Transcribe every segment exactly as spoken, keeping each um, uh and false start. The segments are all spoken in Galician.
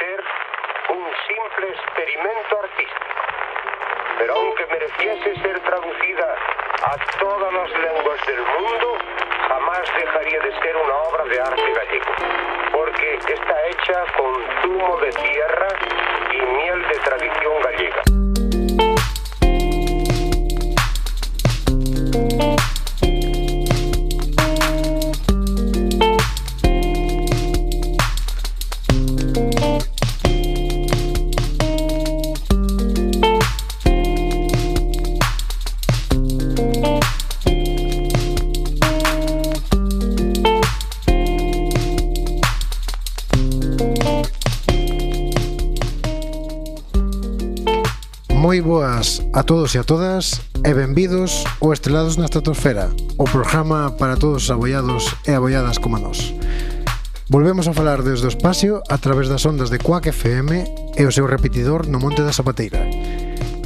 ser un simple experimento artístico. Pero aunque mereciese ser traducida a todas las lenguas del mundo, jamás dejaría de ser una obra de arte gallego, porque está hecha con zumo de tierra y miel de tradición gallega. Moi boas a todos e a todas e benvidos ao Estrelados na Estratosfera, o programa para todos os abollados e abolladas como nós. Volvemos a falar desde o espacio a través das ondas de Quack F M e o seu repetidor no Monte da Zapateira.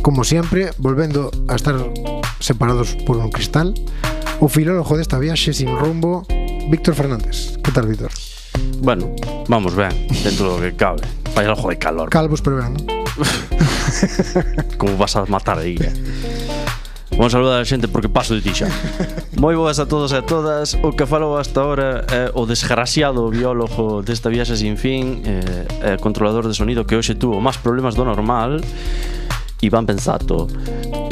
Como sempre, volvendo a estar separados por un cristal, o filólogo desta viaxe sin rumbo, Víctor Fernández. Que tal, Víctor? Bueno, vamos ben, dentro do que cabe. Vai algo de calor. Calvos pero ben, non? Como vas a matar aí, eh? Vamos a saludar a xente porque paso de ti xa. Moi boas a todos e a todas. O que falou hasta ahora é o desgraciado biólogo desta viaxe sin fin, eh, controlador de sonido que hoxe tuvo máis problemas do normal, Iván Pensato.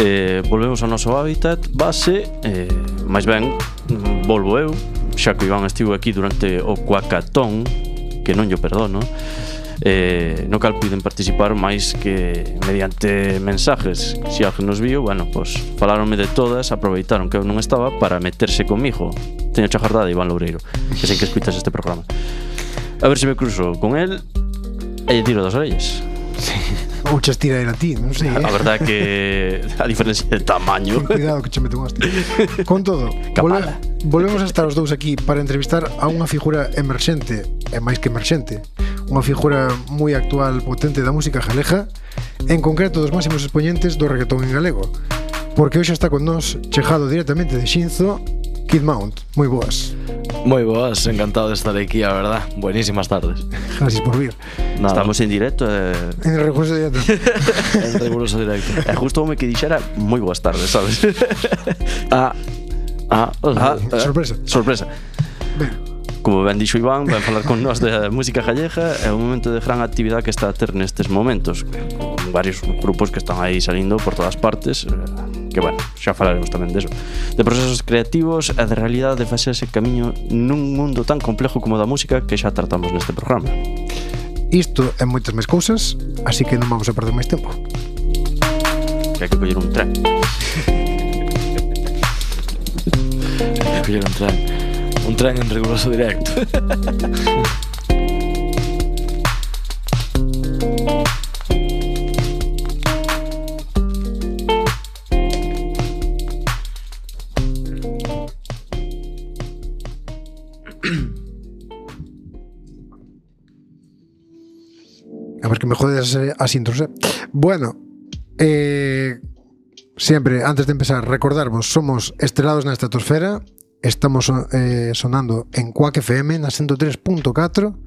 eh, Volvemos ao noso hábitat base, eh, máis ben volvo eu, xa que Iván estivo aquí durante o Cuacatón, que non yo perdono. Eh, no cal piden participar máis que mediante mensajes. Se alguén nos viu, bueno, pues falaronme de todas, aproveitaron que eu non estaba para meterse comigo. Teño chajardade, Iván Loureiro, que sei que escuitas este programa. A ver se me cruzo con él e lle tiro das orellas. Sí. Ou che estira a ti, non sei, eh? A verdade que a diferencia de tamaño. Cuidado que che mete un hostia. Con todo, volve, volvemos a estar os dous aquí para entrevistar a unha figura emerxente, e máis que emerxente, unha figura moi actual, potente da música galega, en concreto dos máximos expoñentes do reggaetón en galego, porque hoxe está con nós, chegado directamente de Xinzo, Kid Mount. Moi boas. Moi boas, encantado de estar aquí, a verdad. Buenísimas tardes. Gracias por vir. Nada. Estamos en directo eh... En recurso directo. En recurso directo. E justo me que dixera moi boas tardes, sabes? Ah, ah, ah, ah sorpresa. Sorpresa. Ben. Como ben dixo Iván, vai falar con nós de música gallega. É un momento de gran actividade que está a ter nestes momentos, con varios grupos que están aí salindo por todas partes, que bueno, xa falaremos tamén deso, de procesos creativos e de realidade de facerse camiño nun mundo tan complejo como da música que xa tratamos neste programa. Isto é moitas máis cousas, así que non vamos a perder máis tempo. Que hai que coller un tren. Hai que coller un tren. Un tren en riguroso directo. A ver que me jodes as intros, eh? Bueno, eh, siempre, antes de empezar, recordarvos, somos Estrelados na Estratosfera. Estamos eh, sonando en Quack F M na ciento tres punto catro,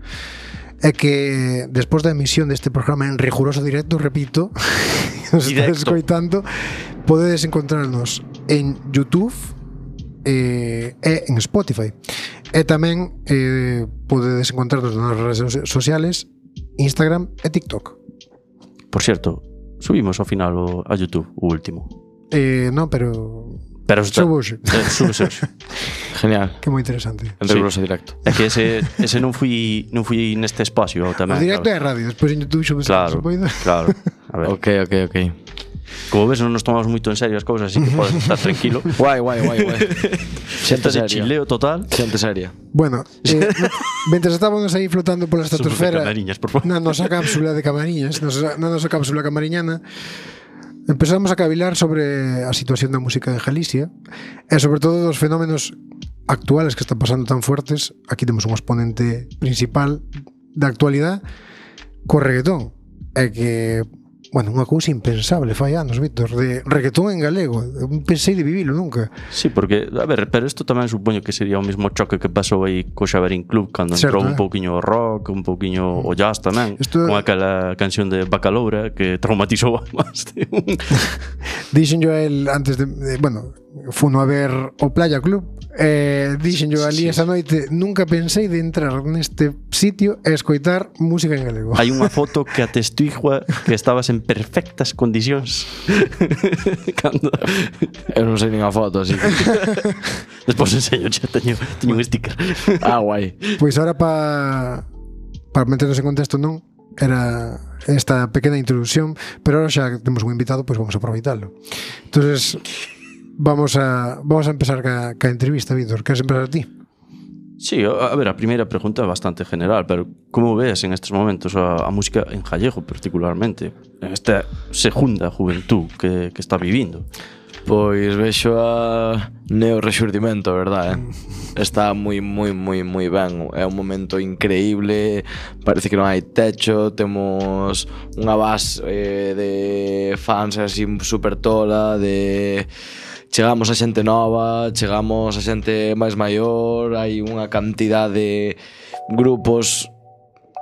e que despois da emisión deste programa en riguroso directo, repito, nos estás escoitando, podedes encontrarnos en YouTube eh, e en Spotify, e tamén eh, podedes encontrarnos nas redes sociales, Instagram e TikTok. Por certo, subimos ao final o, a YouTube o último. Eh, non, pero Pero está, Subo hoxe. Eh, Súbese hoxe. Genial. Que moi interesante. En riguroso sí. Directo. É que ese, ese non fui non fui neste espacio tamén. O directo é radio, despois en YouTube xo claro, claro. A ver. Ok, ok, ok. Como ves, non nos tomamos moito en serio as cousas, así que podes estar tranquilo. Guai, guai, guai, guai. Xente de chileo total. Xente seria. Bueno, eh, mentre estábamos aí flotando pola estratosfera na nosa cápsula de Camariñas, na nosa cápsula camariñana, empezamos a cavilar sobre a situación da música de Galicia e sobre todo dos fenómenos actuales que están pasando tan fuertes. Aquí temos un exponente principal da actualidade co reggaetón, e que bueno, unha cousa impensable fai anos, Víctor, de reggaetón en galego. Eu pensei de vivilo nunca. Sí, porque, a ver, pero isto tamén supoño que sería o mesmo choque que pasou aí co Xaverín Club cando Certo, entrou un eh. pouquiño o rock, un pouquiño o jazz tamén, Isto- con aquela canción de Bacaloura que traumatizou a máis de un. Dixen yo a él antes de, de bueno, funo a ver o Playa Club. Eh, dixen yo ali Sí. esa noite, nunca pensei de entrar neste sitio e escoitar música en galego. Hai unha foto que atestigua que estabas en perfectas condicións cando... Eu non sei nin a foto, así que... Despois enseño, xa teño, teño un sticker. Ah, guai. Pois ahora pa para meternos en contexto non era esta pequena introducción, pero ahora xa temos un invitado, pois vamos a aproveitarlo. Entonces vamos a vamos a empezar ca, ca entrevista, Víctor. Queres empezar a ti? Sí, a a ver, a primeira pregunta é bastante general, pero como ves en estes momentos a, a música en gallego particularmente, en esta segunda juventud que, que está vivindo? Pois vexo a Neo Rexurdimento, verdad, eh? Está moi, moi, moi, moi ben. É un momento increíble. Parece que non hai techo. Temos unha base eh, de fans así super tola, de... Chegamos a xente nova, chegamos a xente máis maior, hai unha cantidad de grupos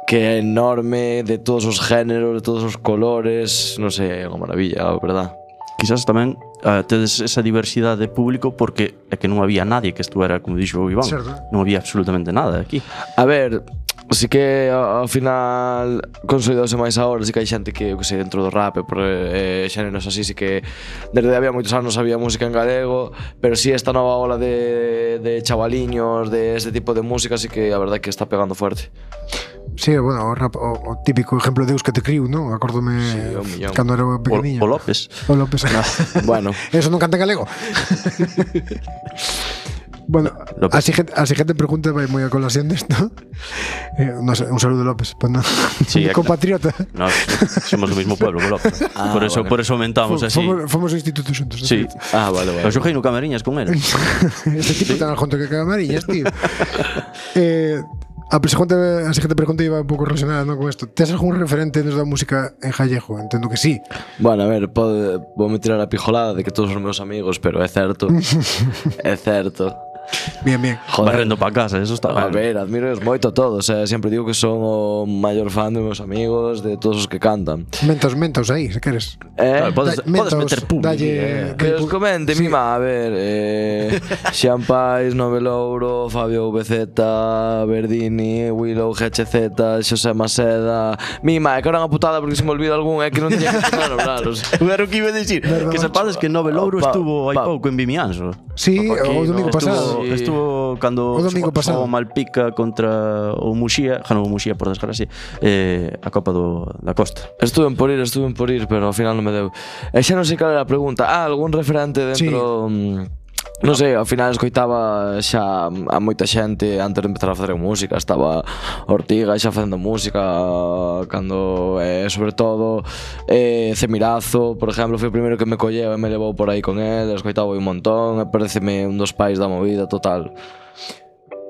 que é enorme, de todos os géneros, de todos os colores, non sei, é unha maravilla, a verdad. Quizás tamén uh, tedes esa diversidade de público porque é que non había nadie que estuera, como dixo o Iván, Certo. non había absolutamente nada aquí. A ver, si que ao, ao final consolidouse máis agora, si que hai xente que, eu que sei, dentro do rap e por eh, xéneros así, si que desde había moitos anos había música en galego, pero si esta nova ola de, de chavaliños, de este tipo de música, si que a verdade que está pegando fuerte. Sí, bueno, o, rap, o, o típico exemplo de Deus que te criu, non? Acórdome Sí, un millón. cando era O, pequeniño. o López. O López. Bueno, Eso non canta en galego. Bueno, López. así gente, así gente pregunta vai moi a colación desto. Eh, no sé, un saludo López, pues no. Sí, é que- compatriota. No, somos do mismo pueblo, o López. Ah, por eso, vale. por eso aumentamos así. Fomos, fomos ao instituto xuntos. Sí. ah, vale, vale. Eu xoguei no Camariñas con él. Este tipo tan al junto que Camariñas, tío. eh, a pregunta, a siguiente pregunta iba un pouco relacionada, ¿no? Con esto. ¿Tes algún referente desde a música en gallego? Entendo que sí. Bueno, a ver, pode, vou me tirar a pijolada de que todos os meus amigos, pero é certo. É certo. Bien, bien. Barrendo para casa, eso está A mal. ver, admiro moito a todos, eh? Sempre digo que son o maior fan dos meus amigos, de todos os que cantan. Mentos, mentos aí, se queres. Eh? Claro, podes, Da- podes mentos, meter público. dalle- eh. Que os comente, Sí. mima, a ver, eh, Xian Pais, Novelouro, Fabio V Z, Verdini, Willow, G H Z, Xosé Maceda. Mima, é que era unha putada porque se me olvida algún, é que non teña que empezar a nombraros. Era o que iba a decir. Verdad, Que sepades que Nove Louro Pa- estuvo hai pa- pouco en Vimianzo. Sí, Opa, aquí, o domingo no, pasado. Estuvo, Sí. estuvo cando O domingo xogou- pasado. xogou Malpica contra o Muxía, ganou o Muxía por desgracia, eh, a Copa do, da Costa. Estuve por ir, estuve por ir, pero ao final non me deu. E xa non sei cal era a pregunta. Ah, algún referente dentro... Sí. Non sei, ao final escoitaba xa a moita xente antes de empezar a facer música. Estaba Ortiga xa facendo música cando, eh, sobre todo, eh, Cemirazo, por exemplo, foi o primeiro que me colleu e me levou por aí con el. Escoitaba un montón e pareceme un dos pais da movida total.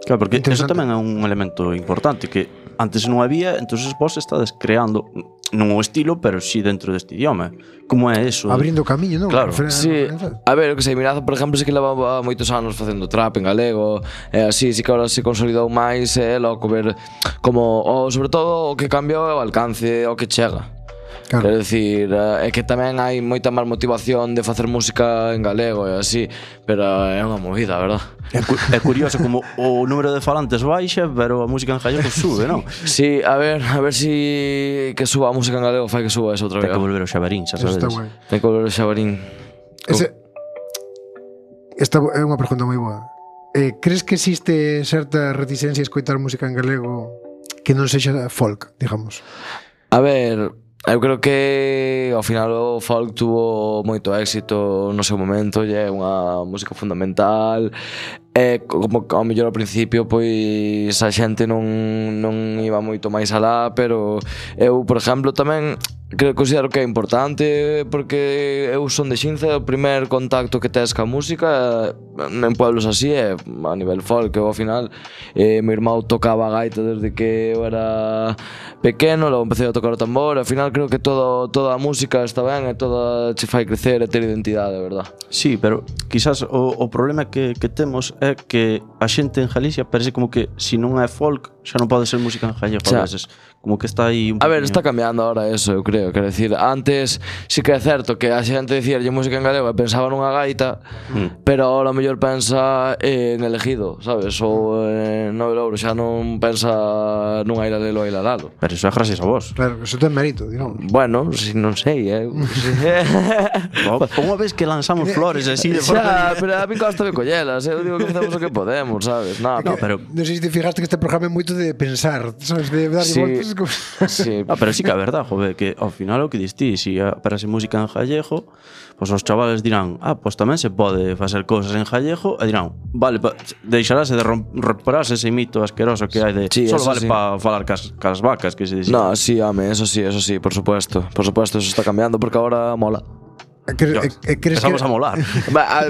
Claro, porque eso Interesante. tamén é un elemento importante que antes non había, entonces vos estades creando non o estilo, pero sí dentro deste idioma. Como é eso? Abrindo camiño, non? Claro. Referen- Sí, referencias. a ver, o que sei, Mirazo, por exemplo, sí que levaba moitos anos facendo trap en galego, e así, sí que ahora se consolidou máis, é loco ver como, o, sobre todo, o que cambiou é o alcance, o que chega. Claro. Quero dicir, é que tamén hai moita máis motivación de facer música en galego e así, pero é unha movida, verdad? É, cu é curioso como o número de falantes baixa, pero a música en gallego sube, non? Sí, a ver, a ver si que suba a música en galego, fai que suba eso outra Ten vez. que volver ao Xabarín, xa Eso está sabedes. guai. Ten que volver o Xabarín. Ese, esta é unha pregunta moi boa. Eh, crees que existe certa reticencia a escoitar música en galego que non sexa folk, digamos? A ver, eu creo que ao final o folk tuvo moito éxito no seu momento, e é unha música fundamental. E como ao mellor ao principio pois a xente non, non iba moito máis alá, pero eu, por exemplo, tamén que considero que é importante porque eu son de Xinza, o primer contacto que tes ca música en pueblos así é a nivel folk, eu ao final eh, meu irmão tocaba a gaita desde que eu era pequeno, logo empecé a tocar o tambor, ao final creo que todo, toda a música está ben e toda che fai crecer e ter identidade, verdad? Sí, pero quizás o, o problema que, que temos é que a xente en Galicia parece como que se non é folk xa non pode ser música en gallego a veces, como que está aí un A ver, poquinho. está cambiando ahora eso, eu creo, quero decir, antes sí que é certo que a xente dicía música en galego e pensaba nunha gaita, mm. pero ahora o mellor pensa en elegido, sabes, ou en Nove Louro, xa non pensa nunha ila lelo a ila lalo. Pero iso é gracias a vos. Claro, eso ten mérito, digamos. Bueno, si non sei, eh. Unha vez que lanzamos flores así de forma... Xa, pero a mí costa de collelas, eu digo que facemos o que podemos, sabes? No, no, pero... Non sei se te fijaste que este programa é moito de pensar, sabes, de dar sí, voltas como... sí. Ah, pero sí que é verdade, jove, que ao final o que distí, se aparece música en gallego, pois os chavales dirán, ah, pois tamén se pode facer cousas en gallego, e dirán, vale, pa, deixarase de repararse ese mito asqueroso que hai de sí, solo vale sí. para falar cas, cas vacas, que se dicía. No, sí, home, eso sí, eso sí, por supuesto. Por supuesto, eso está cambiando porque ahora mola. Cre, eh, crees Empezamos que... a molar.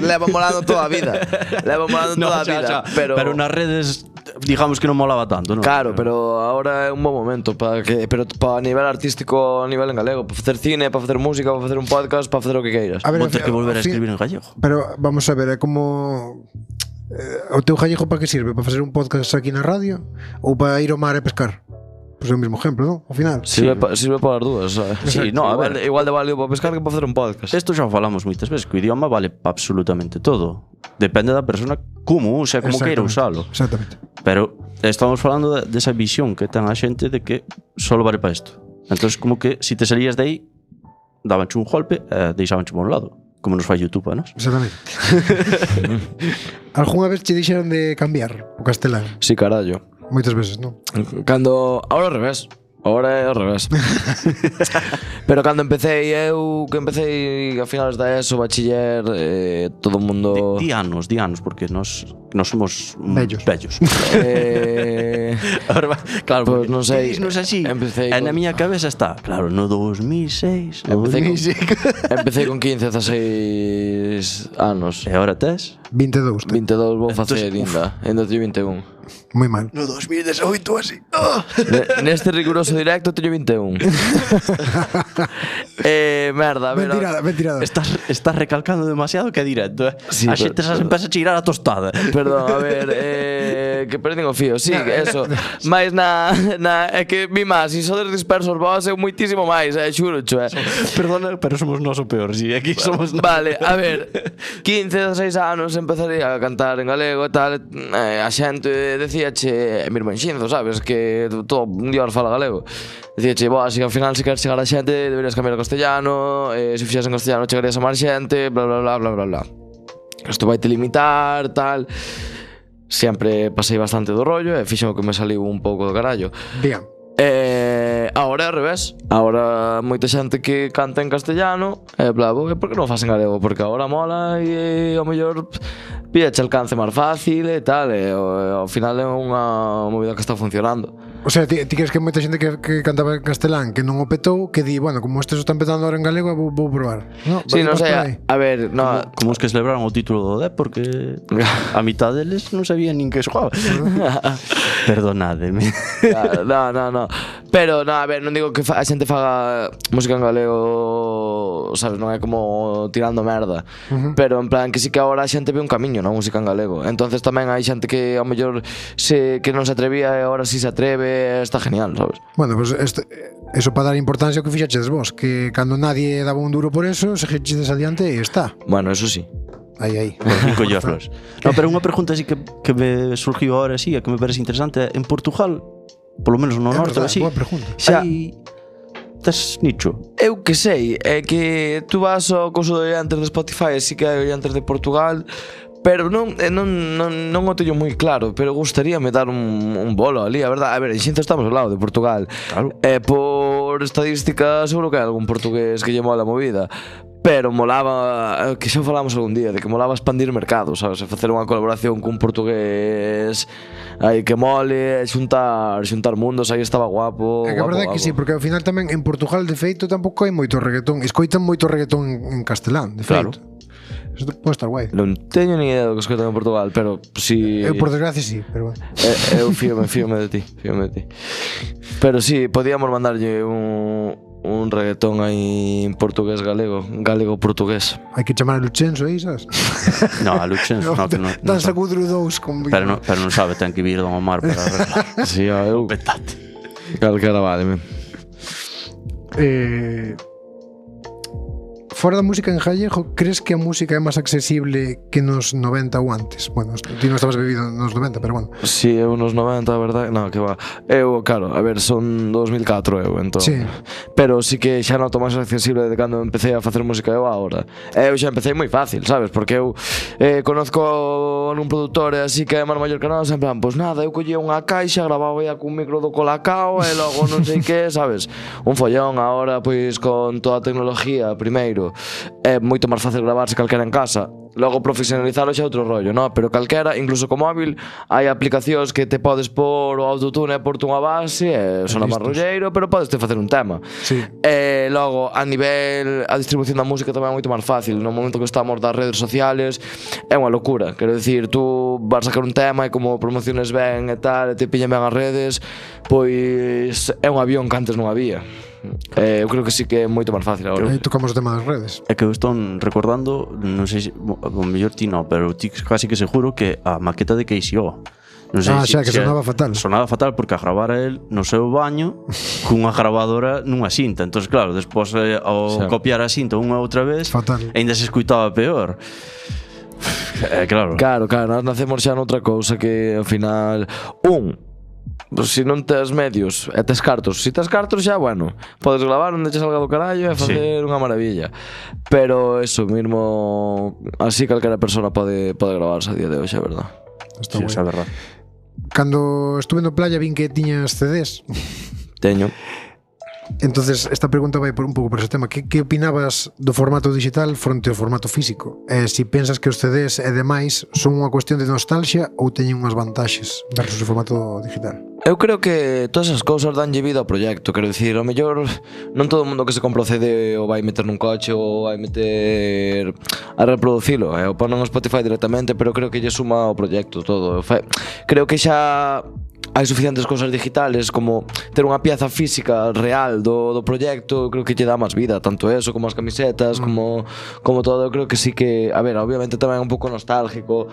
Leva molando toda a vida. Leva molando no, toda a xa, vida, xa. pero pero nas redes digamos que non molaba tanto, non? Claro, pero ahora é un bom momento para que pero para a nivel artístico, a nivel en galego, para facer cine, para facer música, para facer un podcast, para facer o que queiras. A ver, Vou ter que volver a fin, escribir en gallego. Pero vamos a ver, é como eh, o teu gallego para que sirve? Para facer un podcast aquí na radio ou para ir ao mar e pescar? Pois é o mesmo exemplo, non? Ao final. Sirve, sí. pa, sirve para as dúas, sabes? Sí, no, a igual, ver, igual de válido para pescar que para facer un podcast. Isto xa falamos moitas veces, que o idioma vale para absolutamente todo. Depende da persona como use, como queira usalo. Exactamente. Pero estamos falando de, de esa visión que ten a xente de que solo vale para isto. Entonces como que se si te salías de aí, dabanche un golpe e deixabanche por un lado. Como nos fai YouTube, ¿no? Exactamente. Algúnha vez che dixeron de cambiar o castelán? Sí, carallo. Moitas veces, non? Cando... Ahora ao revés. Ahora é ao revés. Pero cando empecé eu, que empecé a finales da ESO, bachiller, eh, todo o mundo... Di, di anos, di anos, porque nos, nos somos bellos. bellos. eh... Ahora, claro, pues non sei. Non é así. Empecé con... con... na miña cabeza está, claro, no dos mil seis. Empecé, dos mil seis. Con... empecé con quince, dezaseis anos. E agora tes? vinte e dous. vinte e dous vou facer ainda. Ainda teño vinte e un. Moi mal. No dos mil dezoito así. Oh. Neste riguroso directo teño vinte e un. eh, merda, a ver. Mentirada, mentirada. Estás, estás recalcando demasiado que é directo, eh? Sí, a xente xa se empeza a cheirar a tostada. Perdón, a ver, eh, que perdín o fío, sí, eso. Mais na, na é que mi máis, se sodes dispersos vos é moitísimo máis, eh, xuro, xo, eh. Perdona, pero somos nós o peor, si, aquí somos nós. Vale, a ver, quince, dezaseis anos empezaría a cantar en galego e tal, eh, a xente decíache, mi irmán Xinzo, sabes, que todo un día fala galego. Decíache, boa, se ao final se queres chegar a xente, deberías cambiar a castellano, eh, se fixas en castellano chegarías a máis xente, bla, bla, bla, bla, bla, bla. Isto vai te limitar, tal. Sempre pasei bastante do rollo e fixo que me saliu un pouco do carallo. Diga. Eh, agora é ao revés. Agora moita xente que canta en castellano e bla, bla, por que non faz en galego? Porque agora mola e ao mellor píache alcance máis fácil e tal, e ao final é unha movida que está funcionando. O sea, ti, ti crees que moita xente que, que cantaba en castelán que non o petou, que di, bueno, como este se está empezando ahora en galego, vou, vou probar. No, sí, non sei, a, a ver, no, como, como os que celebraron o título do D E P, porque a mitad deles non sabían nin que xogaba. Perdonádeme. No, no, no. Pero, no, a ver, non digo que a xente faga música en galego, sabes, non é como tirando merda. Uh-huh. Pero en plan que sí que agora a xente ve un camiño na música en galego. Entonces tamén hai xente que ao mellor se que non se atrevía e agora sí se atreve, está genial, sabes? Bueno, pues este, eso para dar importancia ao que fixachedes vos, que cando nadie daba un duro por eso, seguichedes adiante e está. Bueno, eso sí. Aí, aí. Por fin collo as flores. No, pero unha pregunta así que, que me surgiu agora así, que me parece interesante, en Portugal, polo menos no norte, así, boa pregunta. Xa hai tes nicho. Eu que sei, é que tú vas ao couso de oyentes de Spotify, así que hai oyentes de Portugal, pero non, non, non, non o teño moi claro, pero gustaríame dar un, un bolo ali, a verdade. A ver, en Xinzo estamos ao lado de Portugal. Claro. E por estadística seguro que hai algún portugués que lle mola a movida. pero molaba, que xa falamos algún día, de que molaba expandir mercado, sabes, e facer unha colaboración cun portugués aí que mole, xuntar, xuntar mundos, aí estaba guapo. É que a guapo, verdade é que guapo. sí, porque ao final tamén en Portugal de feito tampouco hai moito reggaetón, escoitan moito reggaetón en castelán, de Claro. feito. Isto pode estar guai. Non teño ni idea do que escoitan en Portugal, pero si... Eu por desgracia sí, pero bueno. Eh, eu fíome, fíome de ti, fíome de ti. Pero sí, podíamos mandarlle un, un reggaetón aí en portugués galego, galego-portugués. Hai que chamar a Luchenzo aí, sabes? No, a Luxens, no, que non, non Danza sabe. Gudru dous con... Pero non, pero non sabe, ten que vir Don Omar para arreglar. Sí, ó, eu... Petate. Calquera vale, men. Eh, fora da música en gallego, crees que a música é máis accesible que nos noventa ou antes? Bueno, ti non estabas bebido nos noventa, pero bueno. Si, sí, eu nos noventa, a verdade, non, que va. Eu, claro, a ver, son dos mil catro eu, entón. Sí. Pero sí que xa noto máis accesible de cando empecé a facer música eu agora. Eu xa empecé moi fácil, sabes? Porque eu eh, conozco un produtor e así que é máis maior que nós, en plan, pois nada, eu collía unha caixa, grababa ya cun micro do Colacao e logo non sei que, sabes? Un follón agora, pois, con toda a tecnología, primeiro, é moito máis fácil gravarse calquera en casa. Logo profesionalizalo xa é outro rollo, no? Pero calquera, incluso co móvil, hai aplicacións que te podes pôr o autotune e porte unha base e sona máis rolleiro, pero podes te facer un tema. Sí. E logo, a nivel, a distribución da música tamén é moito máis fácil. No momento que estamos das redes sociales, é unha locura. Quero dicir, tú vas a sacar un tema e como promociones ben e tal, e te pillan ben as redes, pois é un avión que antes non había. Eh, eu creo que sí que é moito máis fácil agora. Aí tocamos o tema das redes. É que eu estou recordando, non sei se, o mellor ti non, pero ti casi que seguro que a maqueta de K C O. Non sei Ah, se, xa, que se sonaba fatal. Sonaba fatal porque a gravara el no seu baño cunha gravadora nunha cinta. Entón, claro, despois eh, ao Xa. copiar a cinta unha outra vez, Fatal. ainda se escuitaba peor. É claro. Claro, claro, nós nacemos xa noutra cousa que ao final un, pues, se non tes medios e tes cartos, se tes cartos xa, bueno, podes gravar onde che salga do carallo e facer sí. unha maravilla. Pero eso mismo, así calquera persona pode, pode gravarse a día de hoxe, a verdad. Está Sí, guai. é verdade. Cando estuve no playa vin que tiñas C Ds. Teño. Entonces, esta pregunta vai por un pouco por ese tema. Que, que opinabas do formato digital fronte ao formato físico? E se si pensas que os C Ds e demais son unha cuestión de nostalgia ou teñen unhas vantaxes versus o formato digital? Eu creo que todas esas cousas danlle vida ao proxecto. Quero dicir, ao mellor non todo o mundo que se compra o C D o vai meter nun coche ou vai meter a reproducilo, eh? O pon en Spotify directamente, pero creo que lle suma ao proxecto todo. Fa- Creo que xa hai suficientes cousas digitales como ter unha pieza física real do, do proxecto. Creo que lle dá máis vida, tanto eso como as camisetas, mm. como, como todo. Eu creo que sí que, a ver, obviamente tamén é un pouco nostálgico,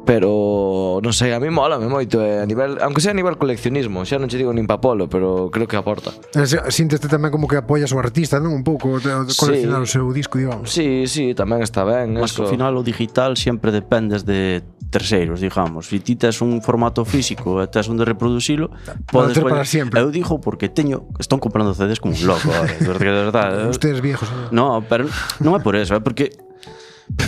pero non sei, a mí mola me moito, eh, a nivel, aunque sea a nivel coleccionismo, xa non che digo nin pa polo, pero creo que aporta. E se- Sínteste tamén como que apoias o artista, non? Un pouco de, de coleccionar Sí. o seu disco, digamos. Sí, sí, tamén está ben Mas que eso. ao final o digital sempre dependes de terceiros, digamos. Se ti tes un formato físico e tes onde reproducilo, podes ter para poñer- sempre. Eu digo porque teño, están comprando C Ds como un loco ahora, porque de verdade. Ustedes viejos, non? No, pero non é por eso, é porque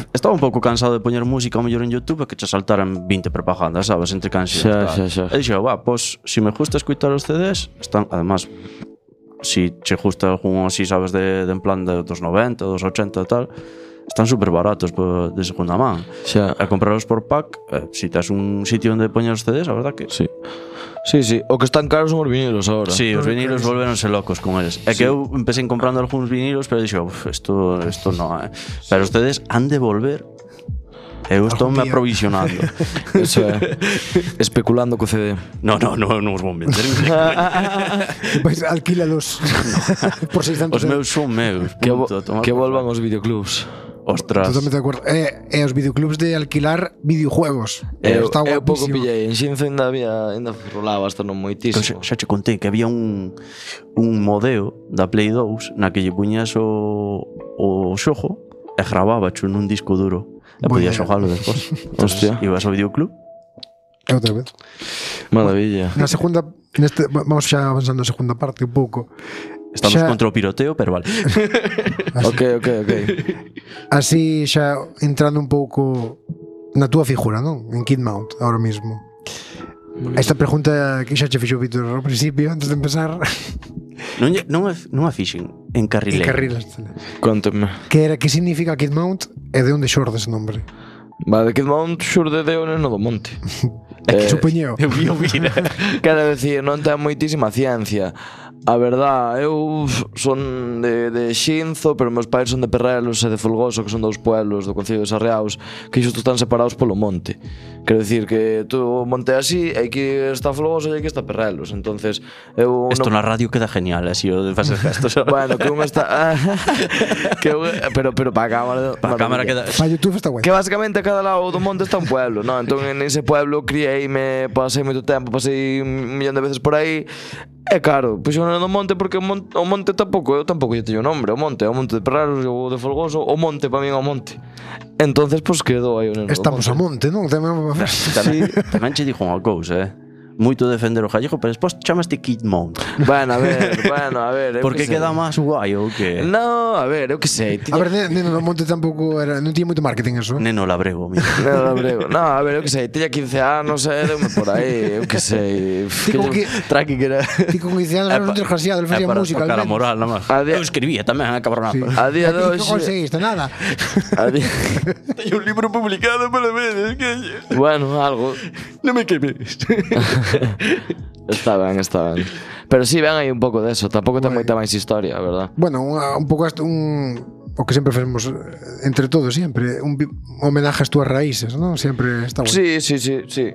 estaba un pouco cansado de poñer música ao mellor en YouTube e que che saltaran vinte propagandas, sabes, entre cancións. Xa, tal. xa, xa. E dixo, va, pois, se me gusta escutar os C Ds, están, además, si che gusta algún así, sabes, de, de en plan de, dos noventa, dos ochenta e tal, están super baratos po, de segunda man. Xa. A comprarlos por pack, eh, si tes un sitio onde poñer os C Ds, a verdad que... Sí. Sí, sí, o que están caros son os vinilos agora. Sí, os vinilos volveronse locos con eles. É que eu empecé comprando algúns vinilos, pero dixo, uf, isto, isto non, eh. Pero os C Ds han de volver. Eu estou me día. aprovisionando. Eso é. Especulando co C D. No, no, no, non os vou meter. Pois alquílalos por seiscentos Os meus son meus. Que, vo punto, toma que por volvan saco. os videoclubs. Ostras. Totalmente de acordo. E, e os videoclubs de alquilar videojuegos. Eu, Está eu pouco guapísimo. pillei. En Xinzo ainda había, ainda rolaba hasta non Eu moitísimo. xa, xa che contei que había un un modeo da Play dous na que lle puñas o, o xogo e gravábacho nun disco duro e Moi podías ben. xogalo despois. Hostia. Ibas ao videoclub. E outra vez. Maravilla. Na segunda, neste, vamos xa avanzando na segunda parte un pouco. Estamos Xa- contra o piroteo, pero vale. Ok, ok, ok. Así xa entrando un pouco na túa figura, non? En Kid Mount, ahora mismo. Esta pregunta que xa che fixo Víctor ao principio, antes de empezar. Non, lle- non, é, non a fixen. encarrileiro. Encarrilas. Contame. Que era, que significa Kid Mount e de onde xorde ese nombre? Vale, Kid Mount xurde de Ono do Monte. É que Eh, supoñeo. Eu vi o vira. Quero decir, non ten moitísima ciencia. A verdad, eu son de, de Xinzo, pero meus pais son de Perrelos e de Folgoso, que son dous pueblos do Concello de Sarriaos, que xusto están separados polo monte. Quero decir que tú monte así, e aquí está Folgoso e aquí está Perrelos. Entonces, eu Esto non... na radio queda genial, así o de facer gestos. Bueno, que un está... que un... Pero, pero para a cámara... Para a cámara queda... Para YouTube está guai. Que basicamente a cada lado do monte está un pueblo, ¿no? Entón en ese pueblo criei-me, pasei moito tempo, pasei un millón de veces por aí. E claro, pois eu non do monte porque o monte, o monte tampouco, eu tampouco lle teño nombre, o monte, o monte de Perreros, o de Folgoso, o monte para min é o monte. Entonces, pois quedou aí o neno do Estamos a monte, non? Tamén Tamén, tamén che dixo unha cousa, eh? Moito defender o gallego, pero despois chamaste Kid Mount. Bueno, a ver, bueno, a ver, eu Porque que sei. queda máis guai ou que? No, a ver, eu que sei. A ver, Neno do Monte tampouco era, non tiña moito marketing eso. Neno labrego, mira. No, no, brego. No, a ver, eu que sei, tiña quince anos, eh, deume por aí, eu que sei. Ti con que Tranqui que era... ti con quince anos era un desgraciado, ele facía música. Para tocar a al menos. moral, nada máis. A día- Eu escribía tamén, a cabronada. Sí. A día de E ti hoxe- non conseguiste nada. A di- Teño un libro publicado para ver, que... Bueno, algo. Non me quemes. Está ben, está ben. Pero sí, ven aí un pouco deso. Tampouco ten moita máis historia, a verdad. Bueno, unha, un pouco hasta un o que sempre facemos entre todos sempre, un vi- homenaje ás túas raíces, non? Sempre está guai. Sí, sí, sí, sí.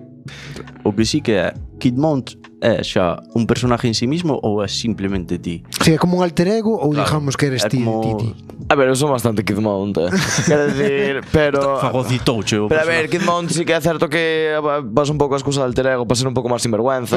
O que sí que é, Kid Mount é xa un personaje en sí mismo ou é simplemente ti? Si é como un alter ego ou Claro, digamos que eres é ti, como- ti, ti. A ver, eu son bastante Kid Mount, eh. Quero decir, pero... Fagocitouche o Pero a ver, personaje. Kid Mount sí que é certo que vas un pouco a excusa de alter ego para ser un pouco máis sinvergüenza,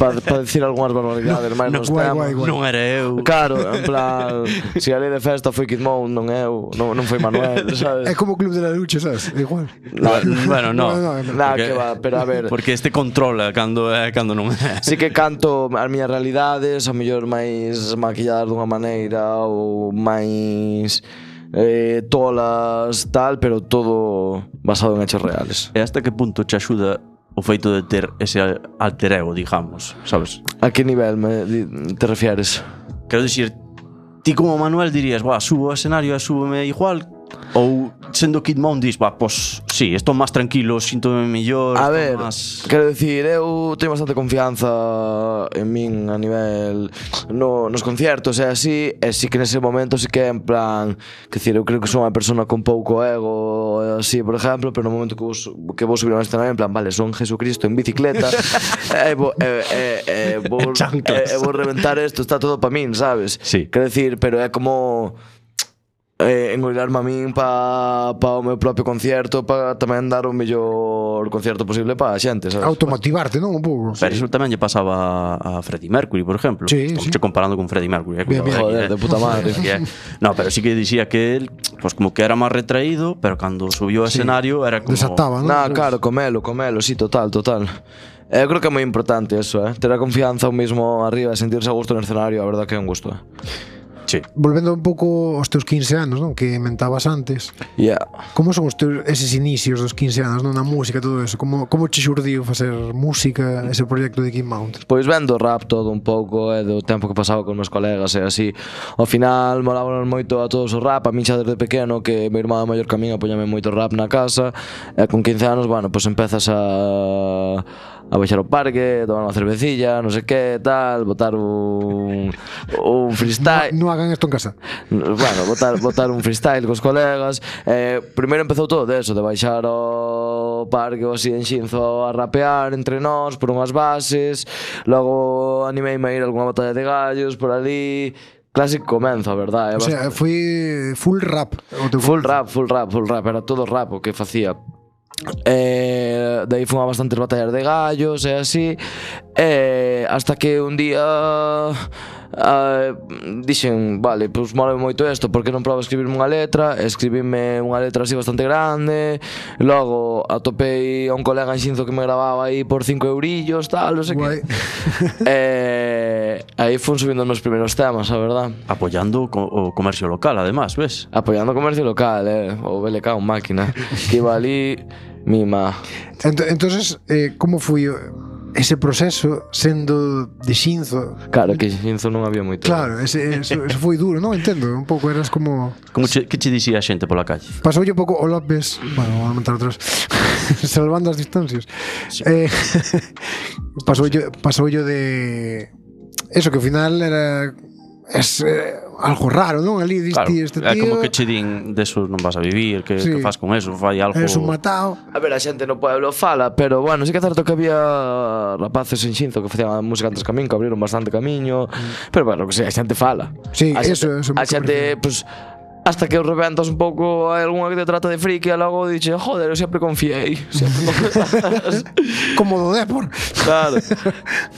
para pa decir algunhas barbaridades máis nos guai, temas. guai, guai. Non era eu. Claro, en plan, si a lei de festa foi Kid Mount, non eu, non, non foi Manuel, sabes? É como o Club de la Lucha, sabes? É igual. Bueno, no. No, no, Nah, que va, pero a ver, Porque este controla cando é cando non é. sí que canto as miñas realidades, a mellor máis maquilladas dunha maneira ou máis eh, tolas, tal, pero todo basado en hechos reales. E hasta que punto te axuda o feito de ter ese alter ego, digamos, sabes? A que nivel me di- te refieres? Quero dicir, ti como Manuel dirías, "Buah, subo ao escenario e súbeme igual", ou sendo Kid Mount dis, "Buah, pois sí, estou máis tranquilo, síntome mellor, A estou ver, máis..." quero dicir, eu teño bastante confianza en min a nivel no, nos conciertos e así, e sí que nese momento sí que é en plan, que dicir, eu creo que son unha persona con pouco ego e así, por exemplo, pero no momento que vou, su- que vou subir a un escenario en plan, vale, son Jesucristo en bicicleta e vou, e, e, e, vou, e, Chanclas. e vou reventar isto, está todo pa min, sabes? Sí. Quero dicir, pero é como eh, engolilarme a min pa, pa o meu propio concierto, para tamén dar o mellor concierto posible para a xente, sabes? Automotivarte, non? Un pouco. Pero eso tamén lle pasaba a Freddie Mercury, por exemplo. Sí, Estamos sí. che comparando con Freddie Mercury. Eh, Bien, bien. Joder, de puta madre. Que é. No, pero sí que dicía que él, pues como que era máis retraído, pero cando subiu ao Sí. escenario era como... Desataba, non? Nah, claro, comelo, comelo, sí, total, total. Eu creo que é moi importante eso, eh? Ter a confianza un mismo arriba e sentirse a gusto no escenario, a verdad que é un gusto, eh? Sí. Volvendo un pouco aos teus quince anos, non? Que mentabas antes. Yeah. Como son os teus eses inicios dos quince anos, non? Na música, todo eso. Como, como che xurdiu facer música, ese proxecto de Kid Mount? Pois vendo rap todo un pouco, e do tempo que pasaba con meus colegas e así. Ao final molábanos moito a todos o rap, a min xa desde pequeno que meu irmán maior que a min apoñame moito rap na casa, e con quince anos, bueno, pois empezas a a baixar ao parque, tomar unha cervecilla, non sei que, tal, botar un un freestyle. Non hagan isto en casa. Bueno, botar, botar un freestyle cos colegas. eh, Primeiro empezou todo de eso, de baixar ao parque ou así en Xinzo a rapear entre nós por unhas bases. Logo animeime a ir a algunha batalla de gallos por ali. Clásico comenzo, a verdade. O sea, foi full rap. O teu Full rap, full rap, full rap. Era todo rap o que facía. Eh, de aí fun a bastantes batallas de gallos e así, eh, hasta que un día uh, dixen, vale, pois mola moito isto, porque non probo a escribirme unha letra? Escribime unha letra así bastante grande. Logo atopei a un colega en Xinzo que me grababa aí por cinco eurillos, tal, non sei Guai. que. Eh, aí fun subindo os meus primeiros temas, a verdad. Apoyando o, co- o comercio local, además, ves? Apoiando o comercio local, eh, o B L K, un máquina, que iba ali, mima. Ent entonces, eh, como foi o- ese proceso sendo de Xinzo. Claro, que Xinzo non había moito. Claro, ese, eso, eso foi duro, non? Entendo, un pouco eras como... Como che, que che dicía a xente pola calle? Pasou un pouco o López, bueno, vou aumentar atrás, salvando as distancias. Sí. Eh, pasou yo, pasou yo de... Eso, que ao final era... Es eh, algo raro, non? Ali diste Claro, este é tío... como que che din deso non vas a vivir, que, Sí. que faz con eso, fai algo... Es un matao. A ver, a xente no pueblo fala, pero bueno, sí que é certo que había rapaces en Xinzo que facían música antes camiño, que abriron bastante camiño, mm. pero bueno, que sei, a xente fala. Sí, a eso, xente, eso a xente, pues, hasta que os reventas un pouco, hai algunha que te trata de friki e logo dixe, joder, eu sempre confiei. Sempre confiei. Como do Depor. Claro,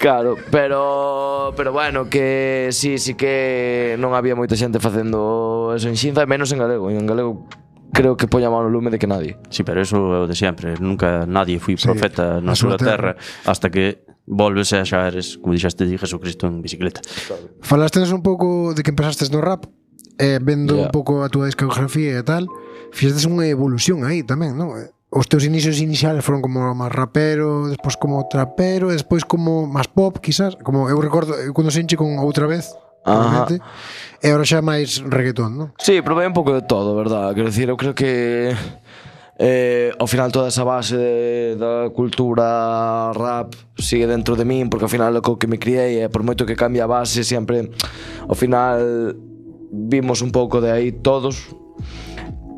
claro, pero pero bueno, que sí, sí que non había moita xente facendo eso en Xinza, e menos en galego, en galego creo que poña máis no lume de que nadie. Sí, pero eso é o de sempre. Nunca nadie foi Sí, profeta na na súa súa terra hasta que volves e xa eres, como dixaste, de Jesucristo en bicicleta. Falastedes un pouco de que empezastes no rap, eh, vendo Yeah. un pouco a túa discografía e tal, fixestes unha evolución aí tamén, non? Os teus inicios iniciales foron como máis rapero, despois como trapero, e despois como máis pop, quizás, como eu recordo eu cando se enche con Outra Vez, Ajá. realmente, e agora xa máis reggaetón, non? Sí, probei un pouco de todo, verdad? Quero dicir, eu creo que eh, ao final toda esa base de, da cultura rap sigue dentro de min, porque ao final é co que me criei, e por moito que cambia a base, sempre ao final vimos un pouco de aí todos,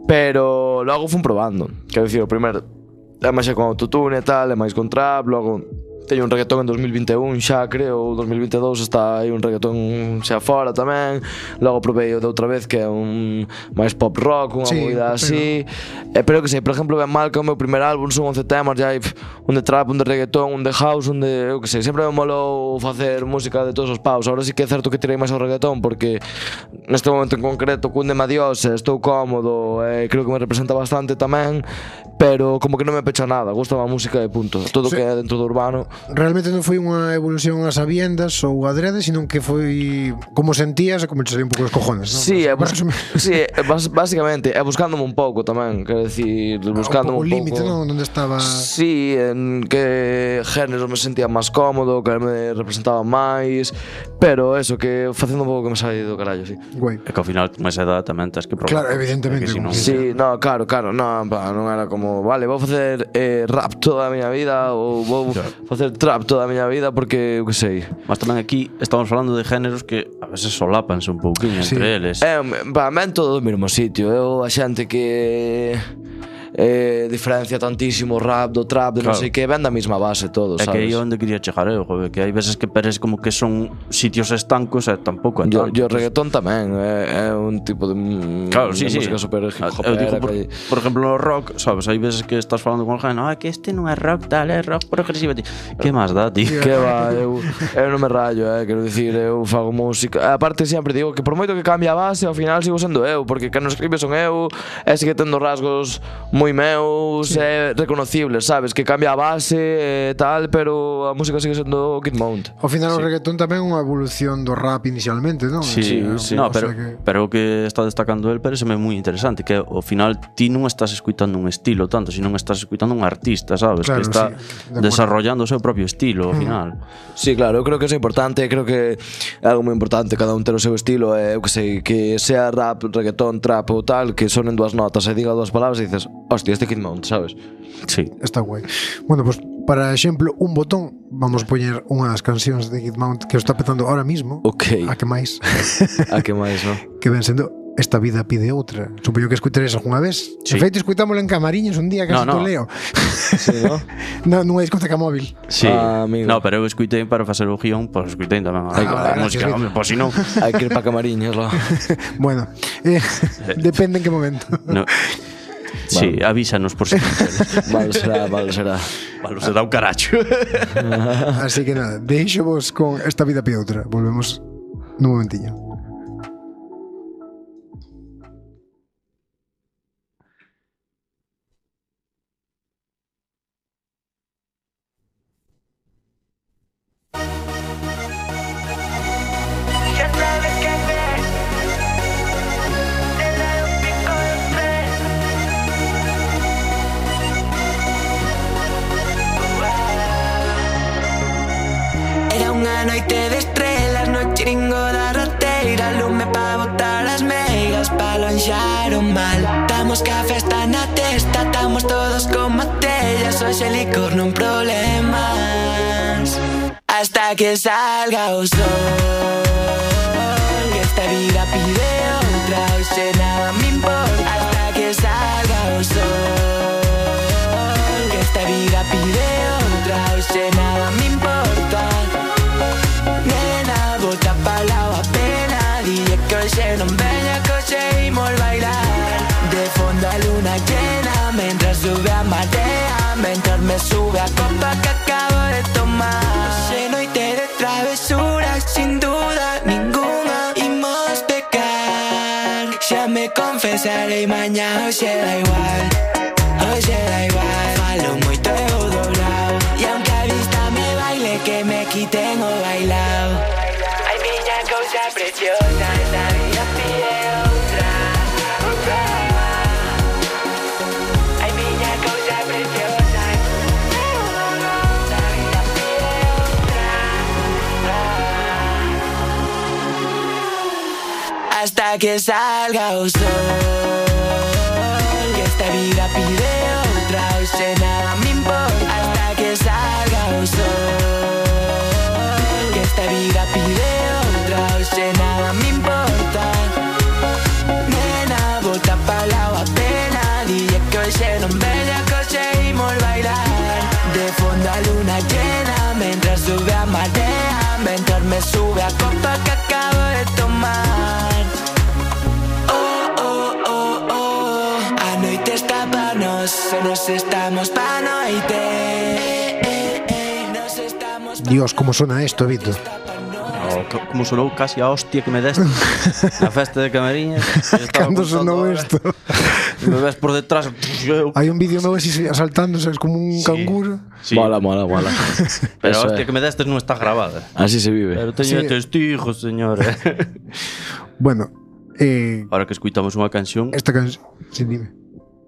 pero logo fun probando. Quero dicir, o primeiro é máis xa con autotune e tal, é máis con trap, logo teño un reggaetón en dos mil vinte e un xa, creo, ou dos mil vinte e dous está aí un reggaetón xa fora tamén. Logo probei o de Outra Vez, que é un máis pop rock, unha Sí, movida pero- así. E pero que sei, por exemplo, Ben Mal, que é o meu primer álbum, son once temas, ya hai pf, un de trap, un de reggaetón, un de house, un de, eu que sei, sempre me molou facer música de todos os paus. Agora sí que é certo que tirei máis ao reggaetón, porque neste momento en concreto cúndeme a Dios, e estou cómodo, e creo que me representa bastante tamén, pero como que non me pecha nada, gusta a música e punto. Todo o Sí. que é dentro do urbano. Realmente non foi unha evolución a sabiendas ou adrede, sino que foi como sentías e como che salía un pouco os cojones, non? Sí, é, Para bus resumir. sí, é bas basicamente é buscándome un pouco tamén, quero decir, buscándome o un límite, pouco. non? Onde estaba... Sí, en que géneros me sentía máis cómodo, que me representaba máis, pero eso, que facendo un pouco que me sai do carallo, sí. Guai. É que ao final, con esa edad tamén tens que probar. Claro, evidentemente, É que si como non- Sí, no, claro, claro, no, pa, non era como, vale, vou facer eh, rap toda a miña vida ou vou Claro. facer trap toda a miña vida porque, eu que sei. Mas tamén aquí estamos falando de géneros que a veces solápanse un pouquinho Sí. entre eles. É, para men todo do mesmo sitio. Eu a xente que eh, diferencia tantísimo o rap do trap, de non Claro. sei que, ven da mesma base todo, É que aí sabes? é onde quería chegar eu, joder, que hai veces que parece como que son sitios estancos e tampouco é Yo, tanto. yo reggaetón tamén é, é un tipo de, Claro, sí, de sí. música super hip Eu hopera digo, por, que- por exemplo, no rock, sabes, hai veces que estás falando con alguén, ah, que este non é rock tal, é rock progresivo. Ti, que máis dá, tío? Que va, eu, eu non me rayo, eh, quero dicir, eu fago música. Aparte sempre digo que por moito que cambie a base, ao final sigo sendo eu, porque quen non escribe son eu, e sigue tendo rasgos moi meus, é reconocibles, sabes, que cambia a base e tal, pero a música sigue sendo Kid Mount. Ao final o Sí. reggaetón tamén é unha evolución do rap inicialmente, non? Sí, Sí, sí, sí. no, O pero, sea que- pero o que está destacando el pareceme moi interesante, que ao final ti non estás escuitando un estilo tanto, sino estás escuitando un artista, sabes, Claro, que está sí, de acuerdo. desarrollando o seu propio estilo ao final. Sí, claro, eu creo que eso é importante, creo que é algo moi importante cada un ter o seu estilo, e eu que sei, que sea rap, reggaetón, trap ou tal, que sonen dúas notas e diga dúas palabras e dices, hostia, este Kid Mount, sabes? Sí. Está guai. Bueno, pues para exemplo, un botón, vamos poñer unha das cancións de Kid Mount que o está petando ahora mismo. Ok. A que máis? A que máis, non? Que ven sendo Esta vida pide outra. Supoño que escuitaréis algunha vez. Sí. De feito, escuitámoslo en Camariños un día, casi No, no. to leo. Sí, non? No, nunha discoteca móvil. Sí. Ah, amigo. No, pero eu escuitei para facer o guión, pois escuitei tamén a, Ai, a, gracias, música, Víctor. home, pois si non. Hai que ir pa Camariñas, lá. Bueno, eh, depende en que momento. No. Sí, avísanos por si. Mal será, mal será. Vale, se dá un caracho. Así que nada, deixo vos con Esta vida pide outra. Volvemos nun momentiño. Ya sabes qué hacer. Te da un pico de tres. Unha noite de estrelas no chiringo da roteira, lume pa botar as meigas, pa lonxar o mal. Tamos ca festa na testa, estamos todos como tellas, hoxe licor non problemas. Hasta que salga o sol, que esta vida pide outra, hoxe nada me importa. Hasta que salga o sol, que esta vida pide outra, hoxe nada me importa. Nena, bota pa lao a pena, dille que hoxe non veña, que hoxe imos bailar. De fondo a luna llena, mentras sube a marea, mentras me sube a copa que acabo de tomar. Hoxe noite de travesuras, sin duda ninguna imos pecar. Xa me confesarei mañá, hoxe da igual, hoxe da igual. Falo moito e o doblao, e aunque a vista me baile, que me quiten o bailao. Ai, miña cousa preciosa, esta vida pide outra, outra. Ai, miña cousa preciosa, esta vida pide outra. Hasta que salga o sol, que esta vida pide outra, hoxe nada me importa. Hasta que salga o sol, que esta vida pide outra, hoxe nada me importa. Nena, bota pa lao a pena, dille que hoxe non veña, que hoxe imos bailar. De fondo a luna llena, mentras sube a marea, mentras me sube a copa que acabo de tomar. Oh, oh, oh, oh, a noite está pa nos, nos estamos pa noite. Eh, eh, eh, nos estamos pa Dios, como suena esto, Vito. Oh, co- como sonou casi a hostia que me deste na festa de Camariñas. Cando sonou isto? Me ves por detrás. eu- Hai un vídeo meu así saltando, sabes, como un Sí. canguro. Sí, Mola, mola, mola. pero a Eso hostia é. que me destes non está grabada. Así se vive. Pero teño Sí. testigos, señores. Bueno, eh, Ahora que escuitamos unha canción, esta canción... Sí, dime.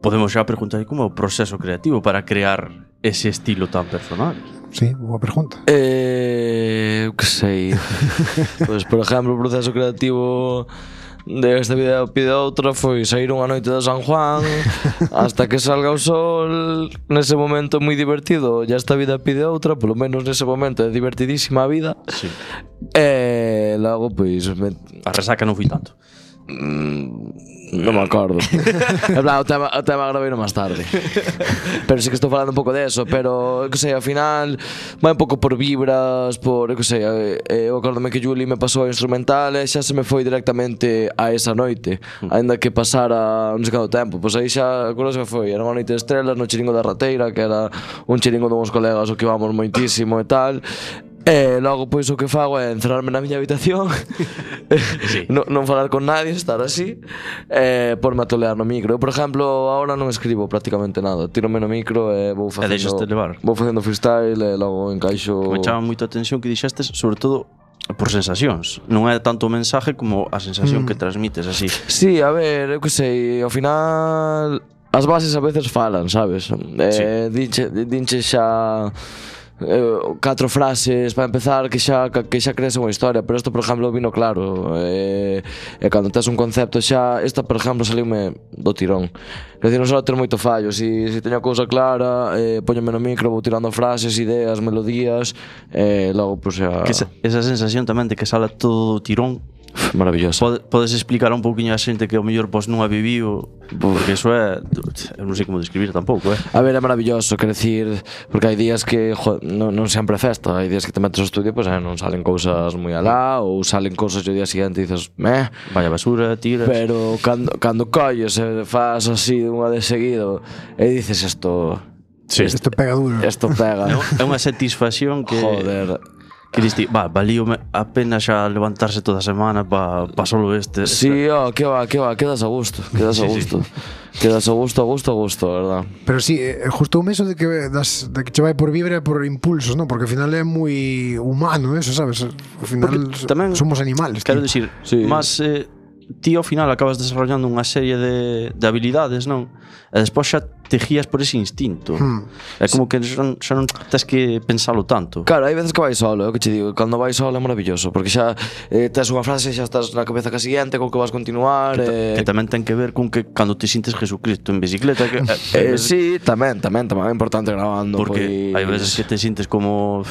podemos xa preguntar como é o proceso creativo para crear ese estilo tan personal. Sí, boa pregunta. Eh, eu que sei. Pois, por exemplo, o proceso creativo de esta vida pide outra foi sair unha noite de San Juan hasta que salga o sol. Nese momento moi divertido, ya esta vida pide outra, polo menos nese momento é divertidísima a vida. Sí. E logo, pois, me, A resaca non fui tanto. non me acordo. En plan, o tema, o tema gravei máis tarde. Pero sí que estou falando un pouco de eso. Pero, eu que sei, ao final vai un pouco por vibras, por, eu que sei, eh, eu acordome que Juli me pasou a instrumental e xa se me foi directamente a esa noite, aínda que pasara non sei canto tempo. Pois aí xa, acordo se me foi, era unha noite de estrelas no chiringo da Rateira, que era un chiringo de uns colegas o que íbamos moitísimo e tal. E logo pois o que fago é encerrarme na miña habitación, Sí. non, non falar con nadie, estar así, e porme a tolear no micro. Eu, por exemplo, agora non escribo prácticamente nada. Tírome no micro e vou facendo, deixaste levar. vou facendo freestyle e logo encaixo. Me chama moito a atención que dixestes, sobre todo por sensacións. Non é tanto o mensaje como a sensación Mm. que transmites así. Sí, a ver, eu que sei, ao final as bases a veces falan, sabes? Eh, dinche, dinche xa eh, catro frases para empezar que xa que xa crees unha historia, pero isto por exemplo vino claro. Eh, e cando tes un concepto xa, esta por exemplo saliume do tirón. Quer dizer, non só ter moito fallo, si, si teño a cousa clara, eh, póñome no micro, vou tirando frases, ideas, melodías, e eh, logo pois xa Que esa, esa sensación tamén de que sala todo do tirón. maravilloso. Pode, podes explicar un pouquiño a xente que ao mellor pois non a viviu, porque eso é, eu non sei como describir tampouco, eh. A ver, é maravilloso, quer decir, porque hai días que jo, non, non sempre é festa, hai días que te metes ao estudio e pues, eh, non salen cousas moi alá, ou salen cousas e o día seguinte e dices, meh, Vaya basura, tiras. pero cando, cando colles e faz así unha de seguido e dices isto, Sí. Isto pega duro. isto pega, É unha satisfacción que joder. que diste, va, valíome a pena xa levantarse toda a semana pa, pa solo este. Sí, oh, que va, que va, quedas a gusto, quedas a Sí, sí. gusto. Quedas a gusto, a gusto, a gusto, verdad. Pero sí, eh, justo un eso de que das, de que che vai por vibra e por impulsos, ¿no? Porque ao final é moi humano eso, sabes? Ao final Porque tamén somos animales. Quero tío. dicir, Sí. máis eh, ti ao final acabas desarrollando unha serie de, de habilidades, non? E despois xa te guías por ese instinto. Hmm. É como que xa non, xa non tens que pensalo tanto. Claro, hai veces que vai solo, é o que che digo. Cando vai solo é maravilloso, porque xa eh, tes unha frase e xa estás na cabeza ca seguinte, con que vas continuar. Que, ta, eh, que tamén ten que ver con que cando te sintes Jesucristo en bicicleta que, eh, sí, tamén, tamén, tamén é importante grabando. Porque pois... hai veces que te sintes como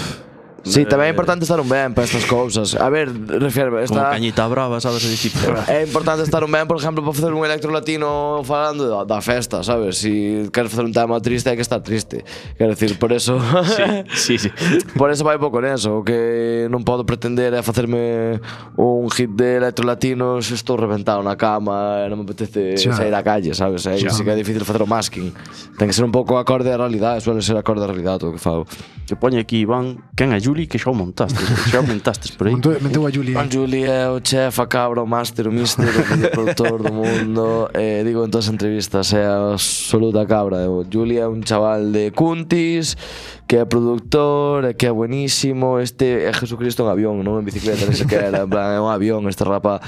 Sí, tamén é importante estar un ben para estas cousas. A ver, refiero, como esta... cañita brava, sabes? E tipo, É importante estar un ben, por exemplo, para facer un electro latino falando da, da festa, sabes? Si queres facer un tema triste, hai que estar triste. Quero decir, por eso... sí, sí, sí. Por eso vai pouco neso. O que non podo pretender é facerme un hit de electro latino se estou reventado na cama e non me apetece Xa. sair á calle, sabes? Aí sí que é difícil facer o masking. Ten que ser un pouco acorde á realidade, suele ser acorde á realidade todo o que fago. Que poñe aquí, Iván, quen é Juli que xa o montastes, xa o montastes por aí. Montou- Meteu a Julia. Juan Juli é o chef, a cabra, o máster, o mister, o videoproductor do mundo. eh, Digo en todas as entrevistas, é a absoluta cabra. O Juli é un chaval de Cuntis, que é productor, e que é buenísimo. Este é Jesucristo en avión, non en bicicleta, non sei que era. En plan, é un avión, este rapa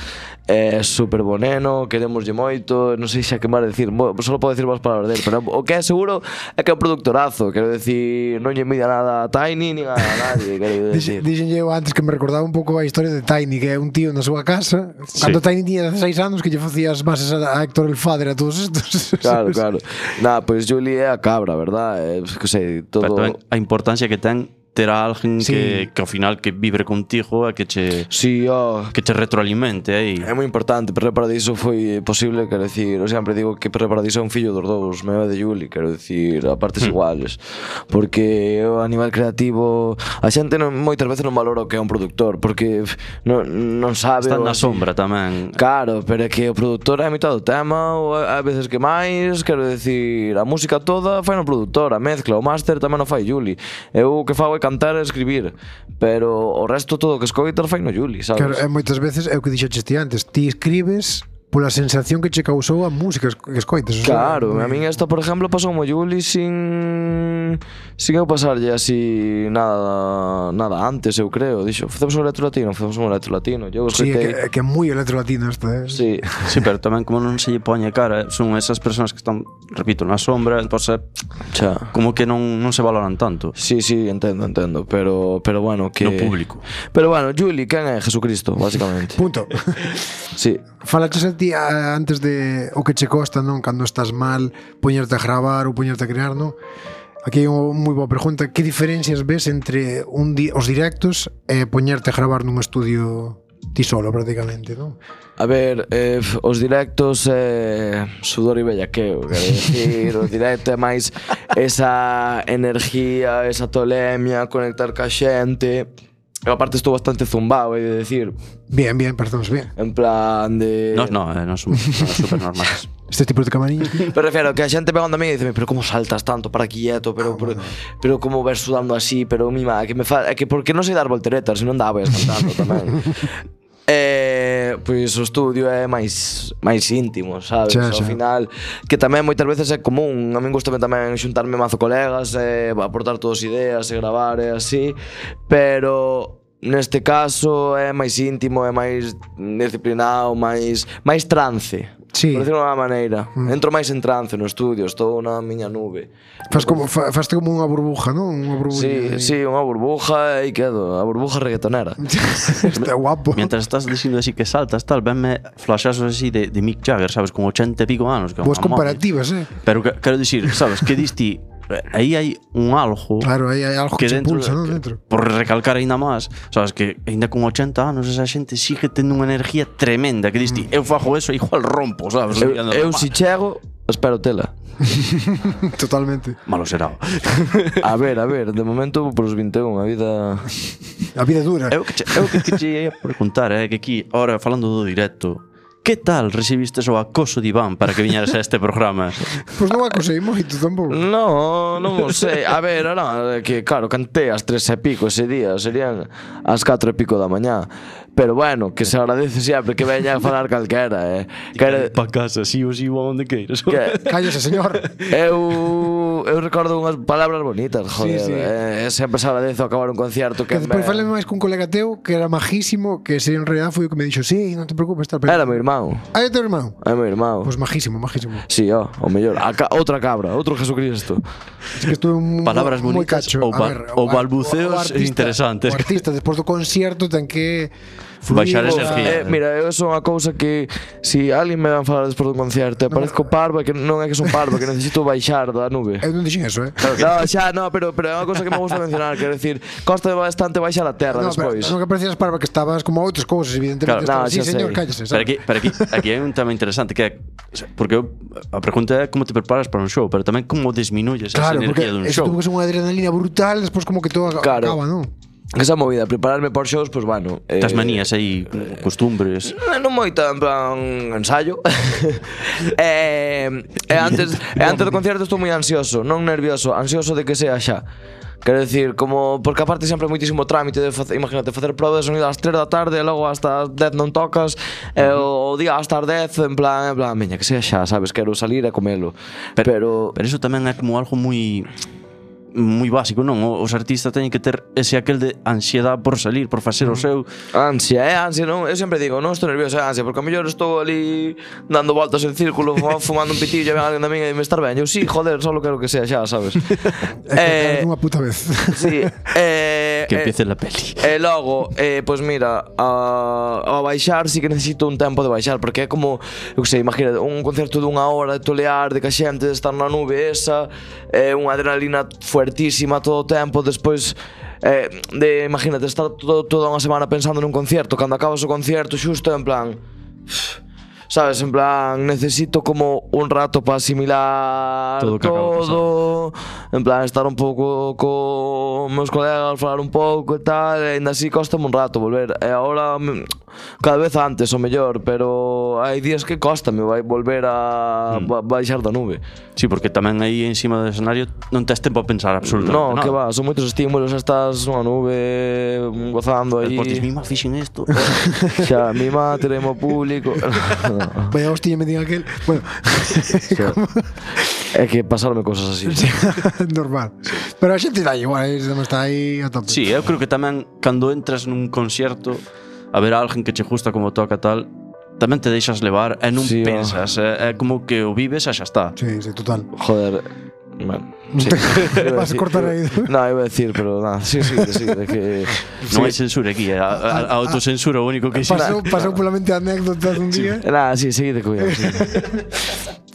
é super boneno, queremoslle moito. Non sei xa que máis decir, mo- só podo decir máis palabras dele, pero o que é seguro é que é un productorazo. Quero decir, non lle media nada a Tiny nin a nadie, quero decir. Dixenlle eu antes que me recordaba un pouco a historia de Tiny, que é un tío na súa casa, cando Tiny tiña dezaseis anos, que lle facía as bases a a Héctor el Father a todos estos. Claro, claro. Nada, pois Juli é a cabra, verdad? É, que sei, todo... Pero tamén a importancia que ten ter a alguén Sí. que, que ao final que vibre contigo e que che Sí, oh, que che retroalimente aí. é moi importante. Perre Paradiso foi posible, quero decir, eu sempre digo que Perre Paradiso é un fillo dos dous, meu e de Juli, quero decir, a partes Hmm. iguales. Porque eu, a nivel creativo, a xente non, moitas veces non valora o que é un productor, porque pff, non, non sabe... Están o- na sombra tamén. Claro, pero é que o produtor é a mitad do tema, ou a veces que máis, quero decir, a música toda fai no produtor, a mezcla, o máster tamén o fai Juli. Eu o que fago é cantar e escribir, pero o resto todo o que escoitas fai no Juli, sabes? Claro, e moitas veces é o que dixeches ti antes, ti escribes pola sensación que che causou a música que escoites. o sea, Claro, a min esta, por exemplo, pasou mo Juli sin sin eu pasarlle así nada nada antes, eu creo. Dixo, facemos un electro latino, facemos un electro latino. Eu Sí, é que, escoitei... é que é moi electro latino isto, eh? Sí. Sí, pero tamén como non se lle poñe cara, son esas persoas que están, repito, na sombra, entonces Xa. como que non, non se valoran tanto Sí, sí, entendo, entendo, pero pero bueno, que no público. Pero bueno, Juli, quen é Jesucristo, básicamente. Punto. Sí. Falaches a ti a, antes de o que che costa, non? Cando estás mal, poñerte a gravar ou poñerte a crear, non? Aquí hai unha moi boa pregunta. Que diferencias ves entre un di os directos e poñerte a gravar nun estudio ti solo, prácticamente, non? A ver, eh, os directos é eh, sudor e bellaqueo, quero decir, os directos é máis esa energía, esa tolemia, conectar ca xente. Eu aparte estou bastante zumbado, hai de decir, Bien, bien, parecemos bien. en plan de... No, no, eh, non son non super normales. Este tipo de camariñas. Pero refiero que a xente pegando a mí e dice, pero como saltas tanto para quieto, pero, pero, pero como ves sudando así, pero mima, é que me fa... é que por que non sei dar volteretas, se non daba cantando tamén. Eh, pois o estudio é máis máis íntimo, sabes? Xa, Ao xa. final, que tamén moitas veces é común. A min gustame tamén xuntarme mazo colegas, e aportar todas ideas, e gravar e así, pero neste caso é máis íntimo, é máis disciplinado, máis máis trance. Sí. Por decirlo de unha maneira. Entro máis en trance no estudio, estou na miña nube. Fas como, fa, faste como unha burbuja, non? Unha Sí, burbuja. sí, unha burbuja e quedo, a burbuja reggaetonera. Está guapo. Mientras estás dicindo así que saltas, tal, venme flashazos así de, de Mick Jagger, sabes, con ochenta e pico anos. Que é Boas unha momia. comparativas, eh? Pero que, quero dicir, sabes, que diste aí hai un algo Claro, aí hai algo que, que che dentro, impulsa, non? que- Dentro. por recalcar aínda máis, sabes, que aínda con ochenta anos esa xente sigue tendo unha energía tremenda que diste, eu fago eso e igual rompo, sabes? Eu, eu si chego, espero tela. Totalmente. Malo será. A ver, a ver, de momento por os vinte e un, a vida... A vida é dura. Eu que che, eu que, que che ia preguntar, é eh, que aquí, ahora falando do directo, que tal recibistes o acoso de Iván para que viñeras a este programa? Pois non acosei moito tampouco. No, non o sei. A ver, era que claro, cantei ás tres e pico ese día, serían ás catro e pico da mañá. Pero bueno, que se agradece sempre que veña a falar calquera, eh. Que, Pa casa, si ou si ou onde queiras. que Cállese, señor. eu eu, eu recordo unhas palabras bonitas, joder. Sí, sí. Eh, sempre se agradezo acabar un concierto Que que despois me... falei máis cun colega teu que era majísimo, que ese en realidad foi o que me dixo, sí, non te preocupes, tal. Pero... Era meu irmão. Ah, é teu irmão? É meu irmão. Pois majísimo, majísimo. Sí, ó, o mellor. A ca outra cabra, outro Jesucristo. Es que estuve un Palabras moi bonitas cacho. ou A ba- ver, ou ar- balbuceos o artista- interesantes. O artista despois do concierto ten que Baixar fluir, energía. Eh, mira, eu son unha cousa que si alguén me van falar despois dun concerto e parezco parvo, é que non é que son parvo, que necesito baixar da nube. Eu non dixen eso, eh. No, xa, no, pero, pero é unha cousa que me gusta mencionar, quero decir, costa bastante baixar a terra No, pero despois. non que parecías parva, que estabas como a outras cousas, evidentemente. Claro, estabas, no, sí, xa señor, sei. cállese, Pero sabes? aquí, pero aquí, aquí hai un tema interesante que é porque eu, a pregunta é como te preparas para un show, pero tamén como disminuyes Claro, esa porque energía dun eso show. tuvo que ser unha adrenalina brutal, despois como que todo Claro. acaba, non? Esa movida, prepararme por shows, pois pues, bueno. Tas eh, manías aí, costumbres. Non moita, en plan, ensayo. e, e antes e antes do concerto estou moi ansioso, non nervioso, ansioso de que sea xa. Quero decir, como porque aparte sempre é moitísimo trámite de facer, imagínate, facer proba de sonido ás tres da tarde e logo hasta as dez non tocas, e o, o día hasta as dez en plan, en plan, miña, que sea xa, sabes, quero salir e comelo. Pero, Pero eso tamén é como algo moi moi básico, non? Os artistas teñen que ter ese aquel de ansiedade por salir, por facer o seu. ansia, é ansia, non? Eu sempre digo, non estou nervioso, é ansia, porque a mellor estou ali dando voltas en círculo, fuma- fumando un pitillo e ven alguén da miña e me estar ben. Eu, sí, joder, solo quero que sea xa, sabes? É que unha puta vez. Sí, eh, Que eh, empiece la peli. E logo, eh, pois pues mira, a, a baixar sí que necesito un tempo de baixar, porque é como, eu que sei, imagina, un concerto dunha hora de tolear, de que a xente de estar na nube esa, é eh, unha adrenalina fuertísima todo o tempo, despois eh, de, imagínate, estar todo, toda unha semana pensando nun concierto, cando acabas o concierto xusto en plan, sabes, en plan, necesito como un rato para asimilar Todo o que acaba de todo, en plan, estar un pouco con meus colegas, falar un pouco e tal, e ainda así costame un rato volver. E agora, mm, cada vez antes o mellor, pero hai días que costame vai volver a Mm. ba- baixar da nube. Sí, porque tamén aí encima do escenario non tes tempo a pensar absolutamente No, nada. que va, son moitos estímulos, estás nunha nube gozando aí. Despois dis, mi má fixen isto. Xa, mi má, teremos público. Vaya hostia me diga aquel. Bueno, É que pasarme cousas así. normal. Pero a xente dá igual, eh, está aí a tope. Sí, eu creo que tamén cando entras nun concierto a ver a alguén que che gusta como toca tal, tamén te deixas levar e non Sí, ó. pensas, é, é como que o vives e xa está. Sí, sí, total. Joder. Bueno, sí. Iba Vas a decir- cortar aí. No, iba a decir, pero nada, sí, sí, sí, de que Non hai censura aquí, a, a, a autocensura o único que existe. Pasou, pasou pola mente anécdotas un día. nada, sí, seguide cuidado, sí.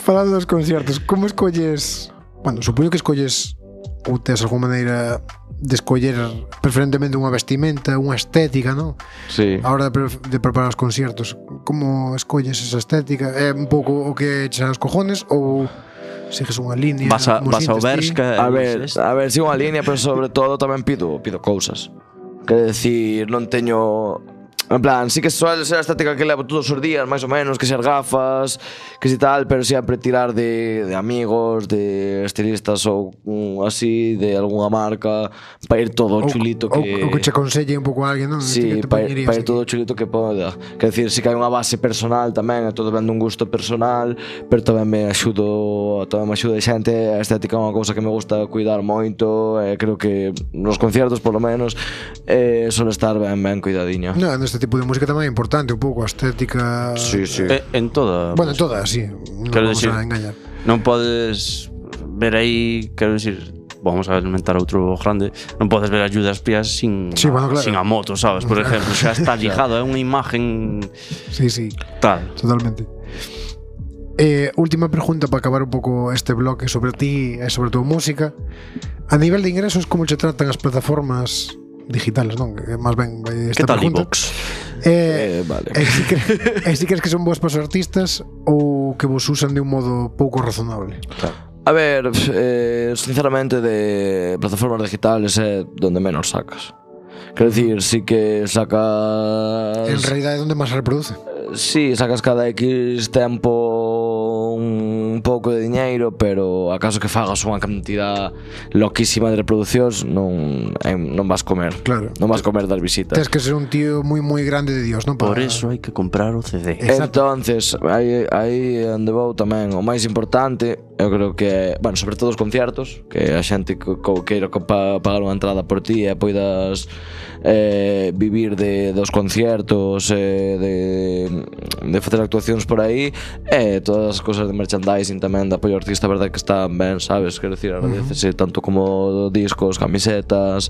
Falando dos conciertos, como escolles? Bueno, supoño que escolles ou tes algunha maneira de escoller preferentemente unha vestimenta, unha estética, non? Sí. A hora de, pre de preparar os conciertos, como escolles esa estética? É un pouco o que eches aos cojones ou sigues unha línea? Vas a, como vas ao sintes ti? Bershka A e ver, dices, a ver, sigo unha línea, pero sobre todo tamén pido, pido cousas. Quero decir, non teño... En plan, sí que suele ser a estética que levo todos os días, máis ou menos, que ser gafas, que si tal, pero sempre tirar de, de amigos, de estilistas ou mm, así, de algunha marca, para ir todo Ou- chulito ou- que... ou que che aconselle un pouco a alguén, non? Sí, Que te para poñerías pa ir aquí. todo chulito que poda. Quer decir, si que hai unha base personal tamén, é todo vendo un gusto personal, pero tamén me axudo, tamén me axuda a xente, a estética é unha cousa que me gusta cuidar moito, e creo que nos conciertos, polo menos, eh, suele estar ben, ben cuidadiño. No, neste tipo de música tamén é importante un pouco a estética. Sí, sí. eh, en toda. Bueno, toda, sí. Non Quero vamos decir- a engañar. Non podes ver aí, quero dicir, vamos a alimentar outro grande, non podes ver a Judas Priest sin, Sí, bueno, claro. sin a moto, sabes? Por exemplo, xa está ligado, é unha imagen Sí, sí, tal. totalmente. Eh, última pregunta para acabar un pouco este bloque sobre ti e sobre a tua música. A nivel de ingresos, como che tratan as plataformas digitales, non? Que máis ben vai esta Que tal pregunta. iVox? Eh, Eh, vale. E si, cre e si crees que son boas para os artistas ou que vos usan de un modo pouco razonable? A ver, eh, sinceramente, de plataformas digitales é donde menos sacas. Quero dicir, sí que sacas... En realidade é onde máis se reproduce. Sí, sacas cada X tempo un pouco de diñeiro, pero acaso que fagas unha cantidad loquísima de reproduccións non, eh, non vas comer. Claro. Non vas comer das visitas. Tens que ser un tío moi moi grande de Dios, non? Por Para- eso hai que comprar o C D. Exacto. Entonces, aí, aí onde vou tamén, o máis importante eu creo que, bueno, sobre todo os conciertos, que a xente que queira pagar unha entrada por ti e poidas eh, vivir de, dos conciertos, eh, de, de facer actuacións por aí, e todas as cosas de merchandising tamén de apoio ao artista, a verdade que están ben, sabes? Quero dicir, agradecese tanto como discos, camisetas,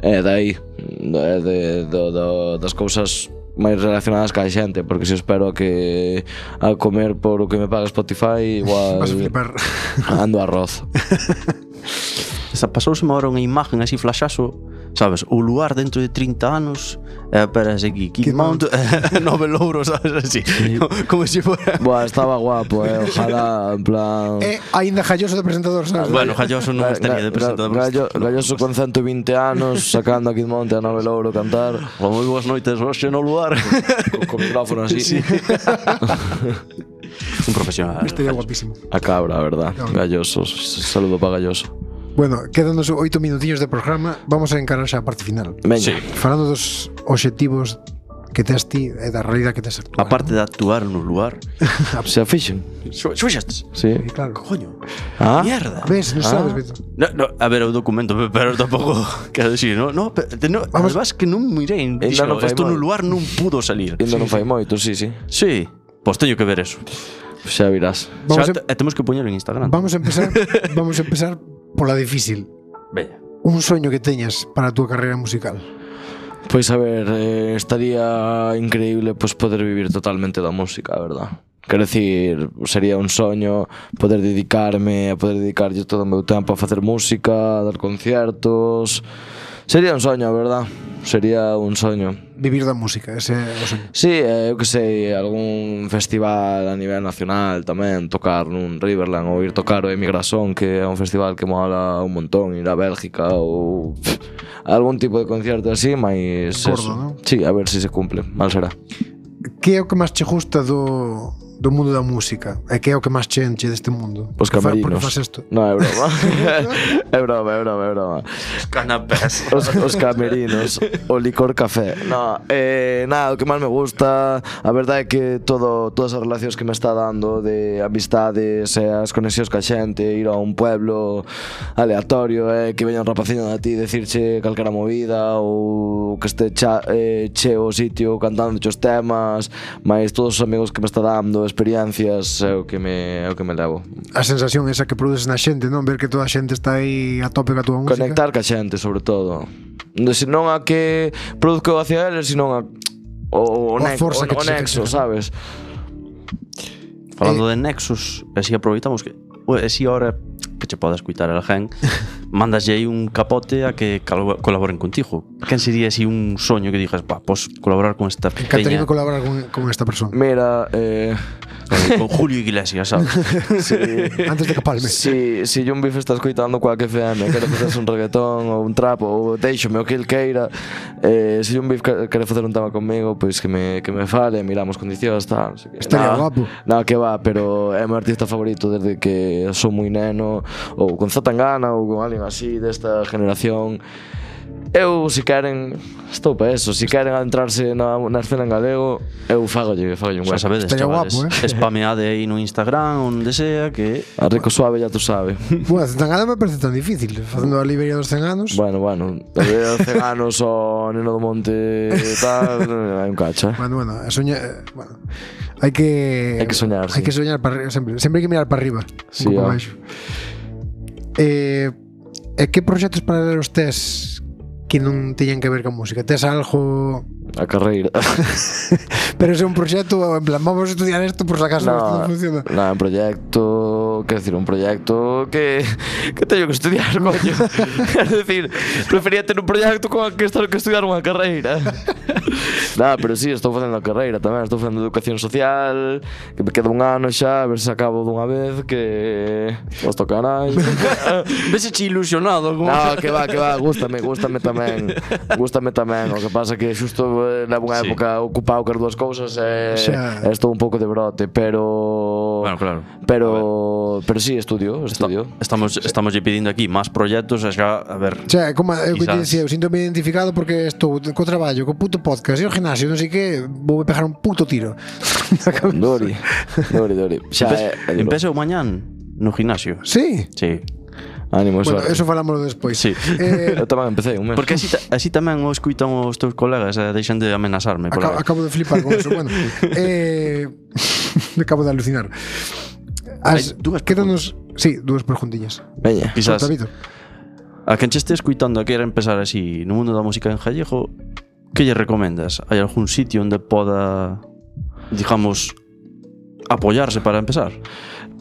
e eh, de aí, de, de, de, de, das cousas máis relacionadas ca xente, porque se espero que a comer por o que me paga Spotify igual vas a flipar. Ando arroz. Pasouseme agora unha imagen así flashazo, sabes, o lugar dentro de trinta anos e aparece aquí Kid Mount, nove louros, sabes, así como se fora. Buah, estaba guapo, eh, ojalá, en plan E aínda Galloso de presentador, sabes? Bueno, Galloso non estaría de presentador. Gallo, Galloso con ciento veinte anos sacando a Kid Monte a nove louro cantar. Moi boas noites hoxe no lugar. Co, co micrófono así, sí. Un profesional. Estaría guapísimo. A cabra, a verdad. Galloso, saludo para Galloso. Bueno, quedanos oito minutiños de programa. Vamos a encarar xa a parte final. Veña. Sí. Falando dos obxectivos que tes ti e da realidade que tes actual. A parte de actuar no lugar. Se a fixen. Xuxaste? Sí. Sí, claro. Coño. Ah. Mierda. Ves, non Ah. sabes, Beto. No, no, a ver, o documento, pero tampouco quero decir, no, no, pero, no Vamos. además que non mirei, Ainda dixo, non fai isto no moi. lugar non pudo salir. Ainda non fai moito, sí, sí. Sí, pois teño que ver eso. Xa virás. Vamos Xa, a, e temos que poñelo en Instagram. vamos a empezar Vamos a empezar pola difícil. Veña. Un soño que teñas para a túa carreira musical. Pois a ver, eh, estaría increíble pois poder vivir totalmente da música, a verdad. Quero dicir, sería un soño poder dedicarme, a poder dedicarlle todo o meu tempo a facer música, a dar conciertos. Sería un soño, a verdad. Sería un soño. Vivir da música, ese é o soño. Sí, eh, eu que sei, algún festival a nivel nacional tamén, tocar nun Riverland ou ir tocar o Emigrasón, que é un festival que mola un montón, ir a Bélgica ou pff, algún tipo de concierto así, mais Gordo, eso. ¿no? Sí, a ver se si se cumple, mal será. Que é o que máis che gusta do, do mundo da música? E que é o que máis che enche deste mundo? Os Fa- camerinos. Porque faz isto? No, é broma. É broma, é broma, é broma. Canapés. Os, os camerinos, o licor café. No, eh, nada, o que máis me gusta, a verdade é que todo, todas as relacións que me está dando de amistades e as conexións ca xente, ir a un pueblo aleatorio, eh, que veña un rapaciño a ti decirche calquera movida ou que este cha, eh, cheo o sitio cantando os temas, máis todos os amigos que me está dando, experiencias, é o que me, é o que me levo. A sensación esa que produces na xente, non? Ver que toda a xente está aí a tope ca túa música. Conectar ca xente, sobre todo. Se non a que produzco hacia eles, sino a o, o, O a ne forza o, que o che- nexo, que che- sabes? Falando de nexos, así aproveitamos que e si ahora que che podes escutar a alguén, mandaslle aí un capote a que calo- colaboren contigo. Quen sería así un soño que dijas, pa, pos colaborar con esta Encantaría pequeña, colaborar con, con esta persona. Mira, eh, con Julio Iglesias, sabes? si, Antes de capalme. si, si John Biff está escoitando cualque F M, quere facerse un reggaetón ou un trap ou deixome o que el queira, eh, se John Biff quere facer un tema comigo, pois que me, que me fale, miramos condicións, tal, non sei que. Estaría Nah, guapo. No, que va, pero é o meu artista favorito desde que sou moi neno, ou con Zatangana ou con alguén así desta generación. Eu, se queren, estou para eso. Se queren adentrarse na, na escena en galego, eu fagolle, fagolle un Xa hueco. sabedes, Estaría chavales, guapo, eh? spameade aí no Instagram, onde sea, que A rico suave ya tú sabe. Bueno, Zetangana me parece tan difícil. Facendo a Liberia dos cen anos. Bueno, bueno, de cen anos o Neno do Monte e tal, hai un cacho, eh? Bueno, bueno, a soñar, eh, bueno, hai que Hai que soñar, hai sí. que soñar para arriba, sempre, sempre hai que mirar para arriba, Sí, un pouco ah. baixo. Eh, e que proxectos paralelos tes que non teñen que ver con música? Tes algo, A carreira. pero é un proxecto en plan, vamos a estudiar isto por si acaso No, isto non funciona. no, un proyecto, quero decir, un proyecto que que teño que estudiar, coño. Quero decir, prefería ter un proyecto con que estar que estudiar unha carreira. Nada, pero sí, estou facendo a carreira tamén, estou facendo educación social, que me queda un ano xa, a ver se acabo dunha vez, que os toca nai. veseche ilusionado como No, que va, que va, gústame, gústame tamén. Gústame tamén, o que pasa que xusto eh, levo unha Sí. época ocupado cas dúas cousas e, Xa. e estou un pouco de brote, pero Bueno, claro. pero pero sí, estudio, estudio. Estamos estamos lle pedindo aquí máis proxectos, e xa, a ver. O sea, como eu que te Quizás. decía, eu sinto me identificado porque estou co traballo, co puto podcast e o gimnasio, non sei que, vou pegar un puto tiro. Dori, Dori, Dori. Xa, Empe- é, é duro. Empeza o mañán no gimnasio. Sí? Sí. Ánimo, Bueno, suerte. eso falámoslo despois. Sí. Eh, Eu tamén empecé un mes. Porque así, ta- así tamén o escuitan os teus colegas e deixan de amenazarme. acabo, acabo de flipar con eso. Bueno, eh, acabo de alucinar. As, Hai dúas quédanos, sí, dúas preguntillas. Veña. Quizás Solta, Víctor. a quen che este escuitando a querer empezar así no mundo da música en gallego, que lle recomendas? Hai algún sitio onde poda, digamos, apoyarse para empezar?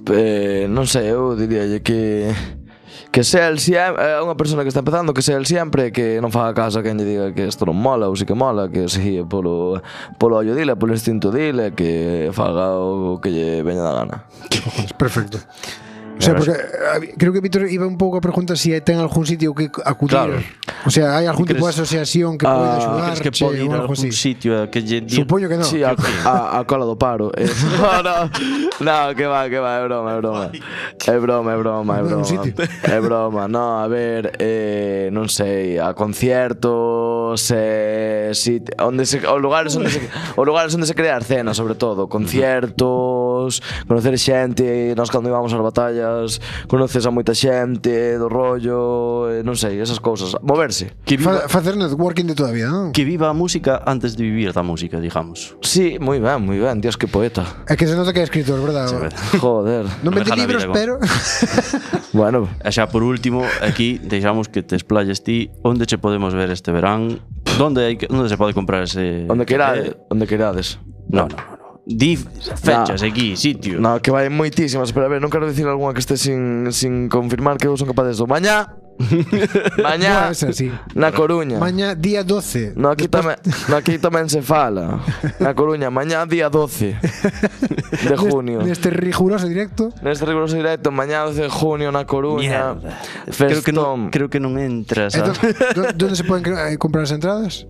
Eh, non sei, eu diríalle que que sea el siempre, é unha persona que está empezando, que sea el siempre, que non faga caso a quen lle diga que isto non mola ou si que mola, que se guíe polo polo ollo dile, polo instinto dile, que faga o que lle veña da gana. Perfecto. O sea, porque eh, creo que Víctor iba un pouco a preguntar si ten algún sitio que acudir. Claro. O sea, hai algún ¿Crees- tipo de asociación que pode Ah, axudar Crees que pode ir a algún sitio a que lle di... Supoño que non. Sí, a, a, a cola do paro. Eh, no, no, no, que va, que va, é broma, é broma. É broma, é broma, é Non, broma. un sitio. É broma, no, a ver, eh, non sei, a conciertos, eh, si, onde se, os lugares onde se, os lugares onde se crea a escena, sobre todo, conciertos, conocer xente, nós cando íbamos ás batallas, conoces a moita xente do rollo, eh, non sei, esas cousas, moverse. Que viva, Fa, facer networking de toda a vida, non? que viva a música antes de vivir da música, digamos. Sí, moi ben, moi ben, Dios, que poeta. É que se nota que é escritor, verdad? Joder. Non vende Deja la libros, vida, pero Bueno, E xa por último, aquí deixamos que te explayes ti onde che podemos ver este verán, onde hai que, onde se pode comprar ese onde queirades, onde queirades. No, no, no, no. Di fechas aquí, sitio. No, que vai moitísimas, pero a ver, non quero dicir algunha que este sin, sin confirmar que eu son capaz de eso. Mañá, mañá, Buah, esa sí. na Coruña. mañá día doce. No, aquí, Despois- tamén, no, aquí tamén se fala. Na Coruña, mañá día doce de junio. Neste riguroso directo. Neste riguroso directo, mañá doce de junio na Coruña. Mierda. Creo que non, Festón. creo que non entras. Entón, A... do- Onde se poden cre- eh, comprar as entradas?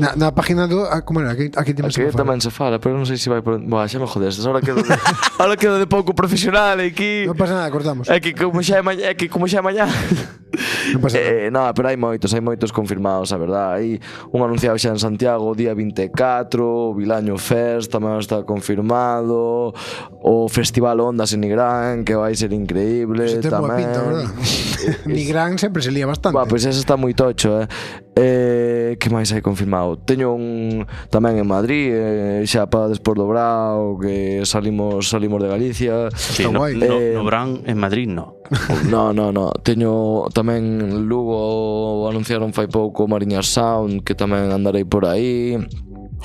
Na, na página do... ah, como era? Aquí, aquí temos Aquí tamén se fala, pero non sei se vai por... Buah, xa me jodestes, ahora quedo de, ahora quedo de pouco profesional aquí. Non pasa nada, cortamos. É que como xa é mañá, é que como xa é mañá. Non pasa nada. Eh, no, pero hai moitos, hai moitos confirmados, a verdad. Hai un anunciado xa en Santiago o día vinte e catro, o Vilaño Fest tamén está confirmado, o Festival Ondas en Nigrán, que vai ser increíble Se ten boa tamén. pinta, verdad? Nigrán sempre se lía bastante. Buah, pois ese está moi tocho, eh. Eh, que máis hai confirmado? Teño un tamén en Madrid, eh, xa para despois do Brao, que salimos salimos de Galicia. Sí, Está no, guai. no, Eh, no Brán en Madrid, no. No, no, no. Teño tamén en Lugo, anunciaron fai pouco Mariña Sound, que tamén andarei por aí.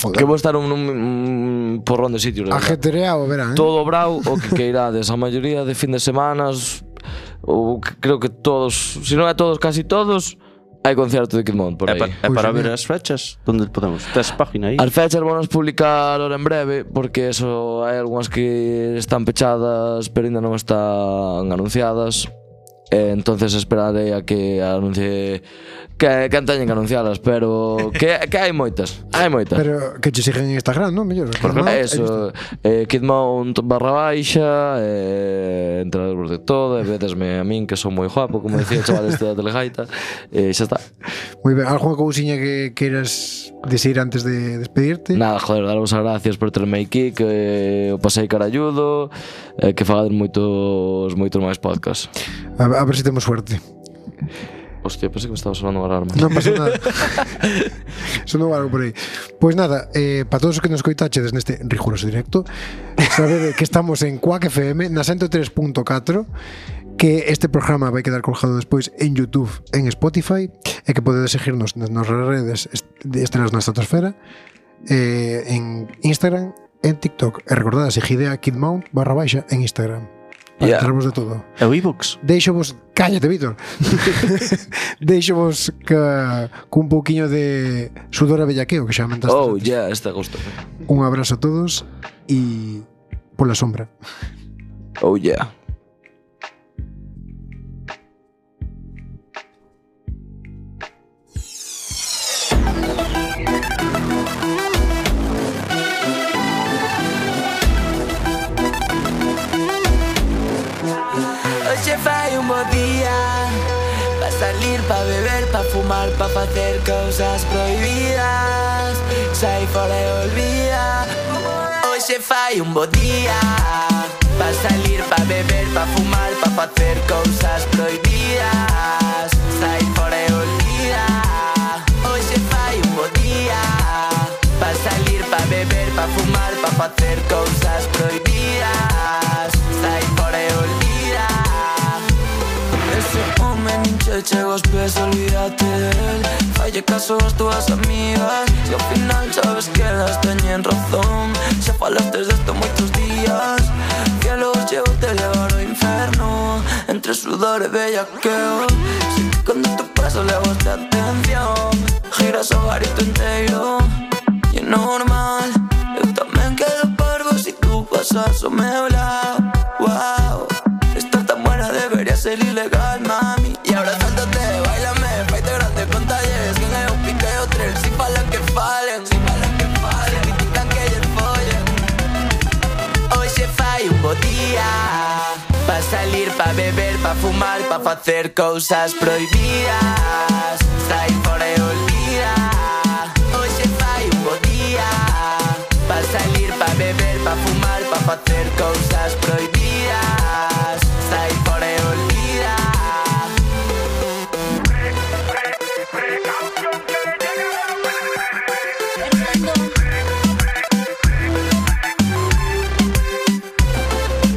Joder. Que vou estar un, un, un porrón de sitios. la verdad. Ajetreado, verán, eh? Todo brau o que queirades. A maioría de fin de semanas, ou que- creo que todos, se non é todos, casi todos, hai concerto de Kidmont por É, aí. pa, é Pois para é, ver mira. as fechas, onde podemos? Tes página aí? As fechas vamos publicar ahora en breve, porque eso hai algunhas que están pechadas pero ainda non están anunciadas. Eh, entonces esperarei a que anuncie que, que teñen que anuncialas, pero que, que hai moitas, hai moitas. Pero que che siguen en Instagram, non? Mellor. Kidmount, Eh, aí está. Eso, eh, Kidmount barra baixa, eh, entrarvos de todo, e vedesme a min que son moi guapo, como decía o chaval este da Telegaita, e eh, xa está. Moi ben, algunha cousiña que queiras decir antes de despedirte? Nada, joder, daros as gracias por terme aquí, que o pasei caralludo, eh, que fagades moitos moitos máis podcasts. A, a ver se temos suerte. Hostia, pensei que me estaba sonando unha alarma. Non pasa nada. Sonou algo por aí. Pois nada, eh, para todos os que nos coitachedes neste riguroso directo, sabede que estamos en Quack F M na ciento tres punto catro, que este programa vai quedar colgado despois en YouTube, en Spotify, e que podedes seguirnos nas nosas redes de Estrelas na Estratosfera, eh, en Instagram, en TikTok. E recordad, seguide a Kidmount barra baixa en Instagram. Para Yeah. enterarvos de todo. É o iVoox? Deixo vos, cállate, Víctor. Deixo vos que cun pouquiño de sudor a bellaqueo que xa mentaste. Oh, antes. yeah, este gusto. Un abrazo a todos e pola sombra. Oh, yeah. Hoxe fai un bo día pa salir, pa beber, pa fumar, pa facer cousas prohibidas. Sai fora e olvida. Hoxe fai un bo día Pa salir, pa beber, pa fumar, pa facer cousas prohibidas. Sai fora e olvida, hoxe fai un bo día. Pa salir, pa beber, pa fumar, pa facer cousas prohibidas. Sai fora e olvida. Ese home nin che chega aos pés, olvídate del. Falle caso ás túas amigas, se ao final sabes que elas teñen razón. Xa falastes desto moitos días, que los llevo te levar ao inferno. Entre sudor e bellaqueo, sei que cando te paso levaste atención. Giras o garito inteiro e é normal. Eu tamén quedo parvo si tú pasas o meu lado. Wow, estar tan buena debería ser ilegal, mami. E abrazándote, bailame, faite grande con talleres. Que é o pique e o tren, si falan que falen, si falan que falen, si critican que elles follen. Hoxe fai un bo día, pa salir, pa beber, pa fumar, pa facer cousas prohibidas. Sai fora e olvida, hoxe fai un bo día, pa salir, pa beber, pa fumar, pa facer cousas prohibidas. Sai fora e olvida.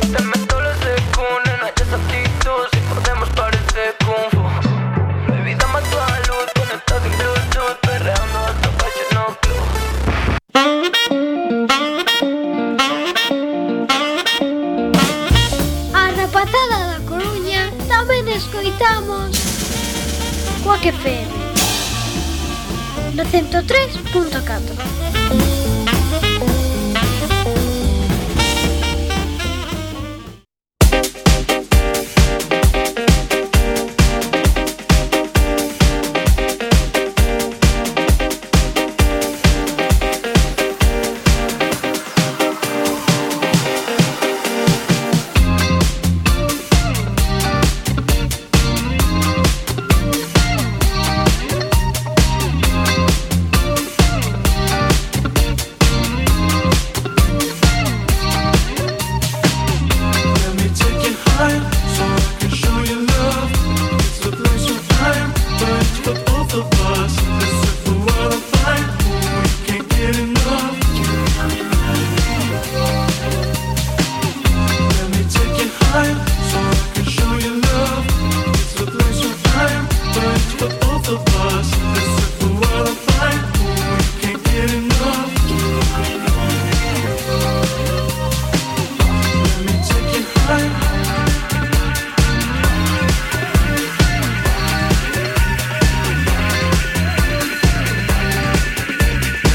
Te meto los de cuna, no hayas actitud, si podemos parecer kung fu. Bebida más tu luz, conectado en Bluetooth, perreando hasta Fashion No Club. A rapazada da Coruña tamén escoitamos Coac F M no ciento tres punto catro.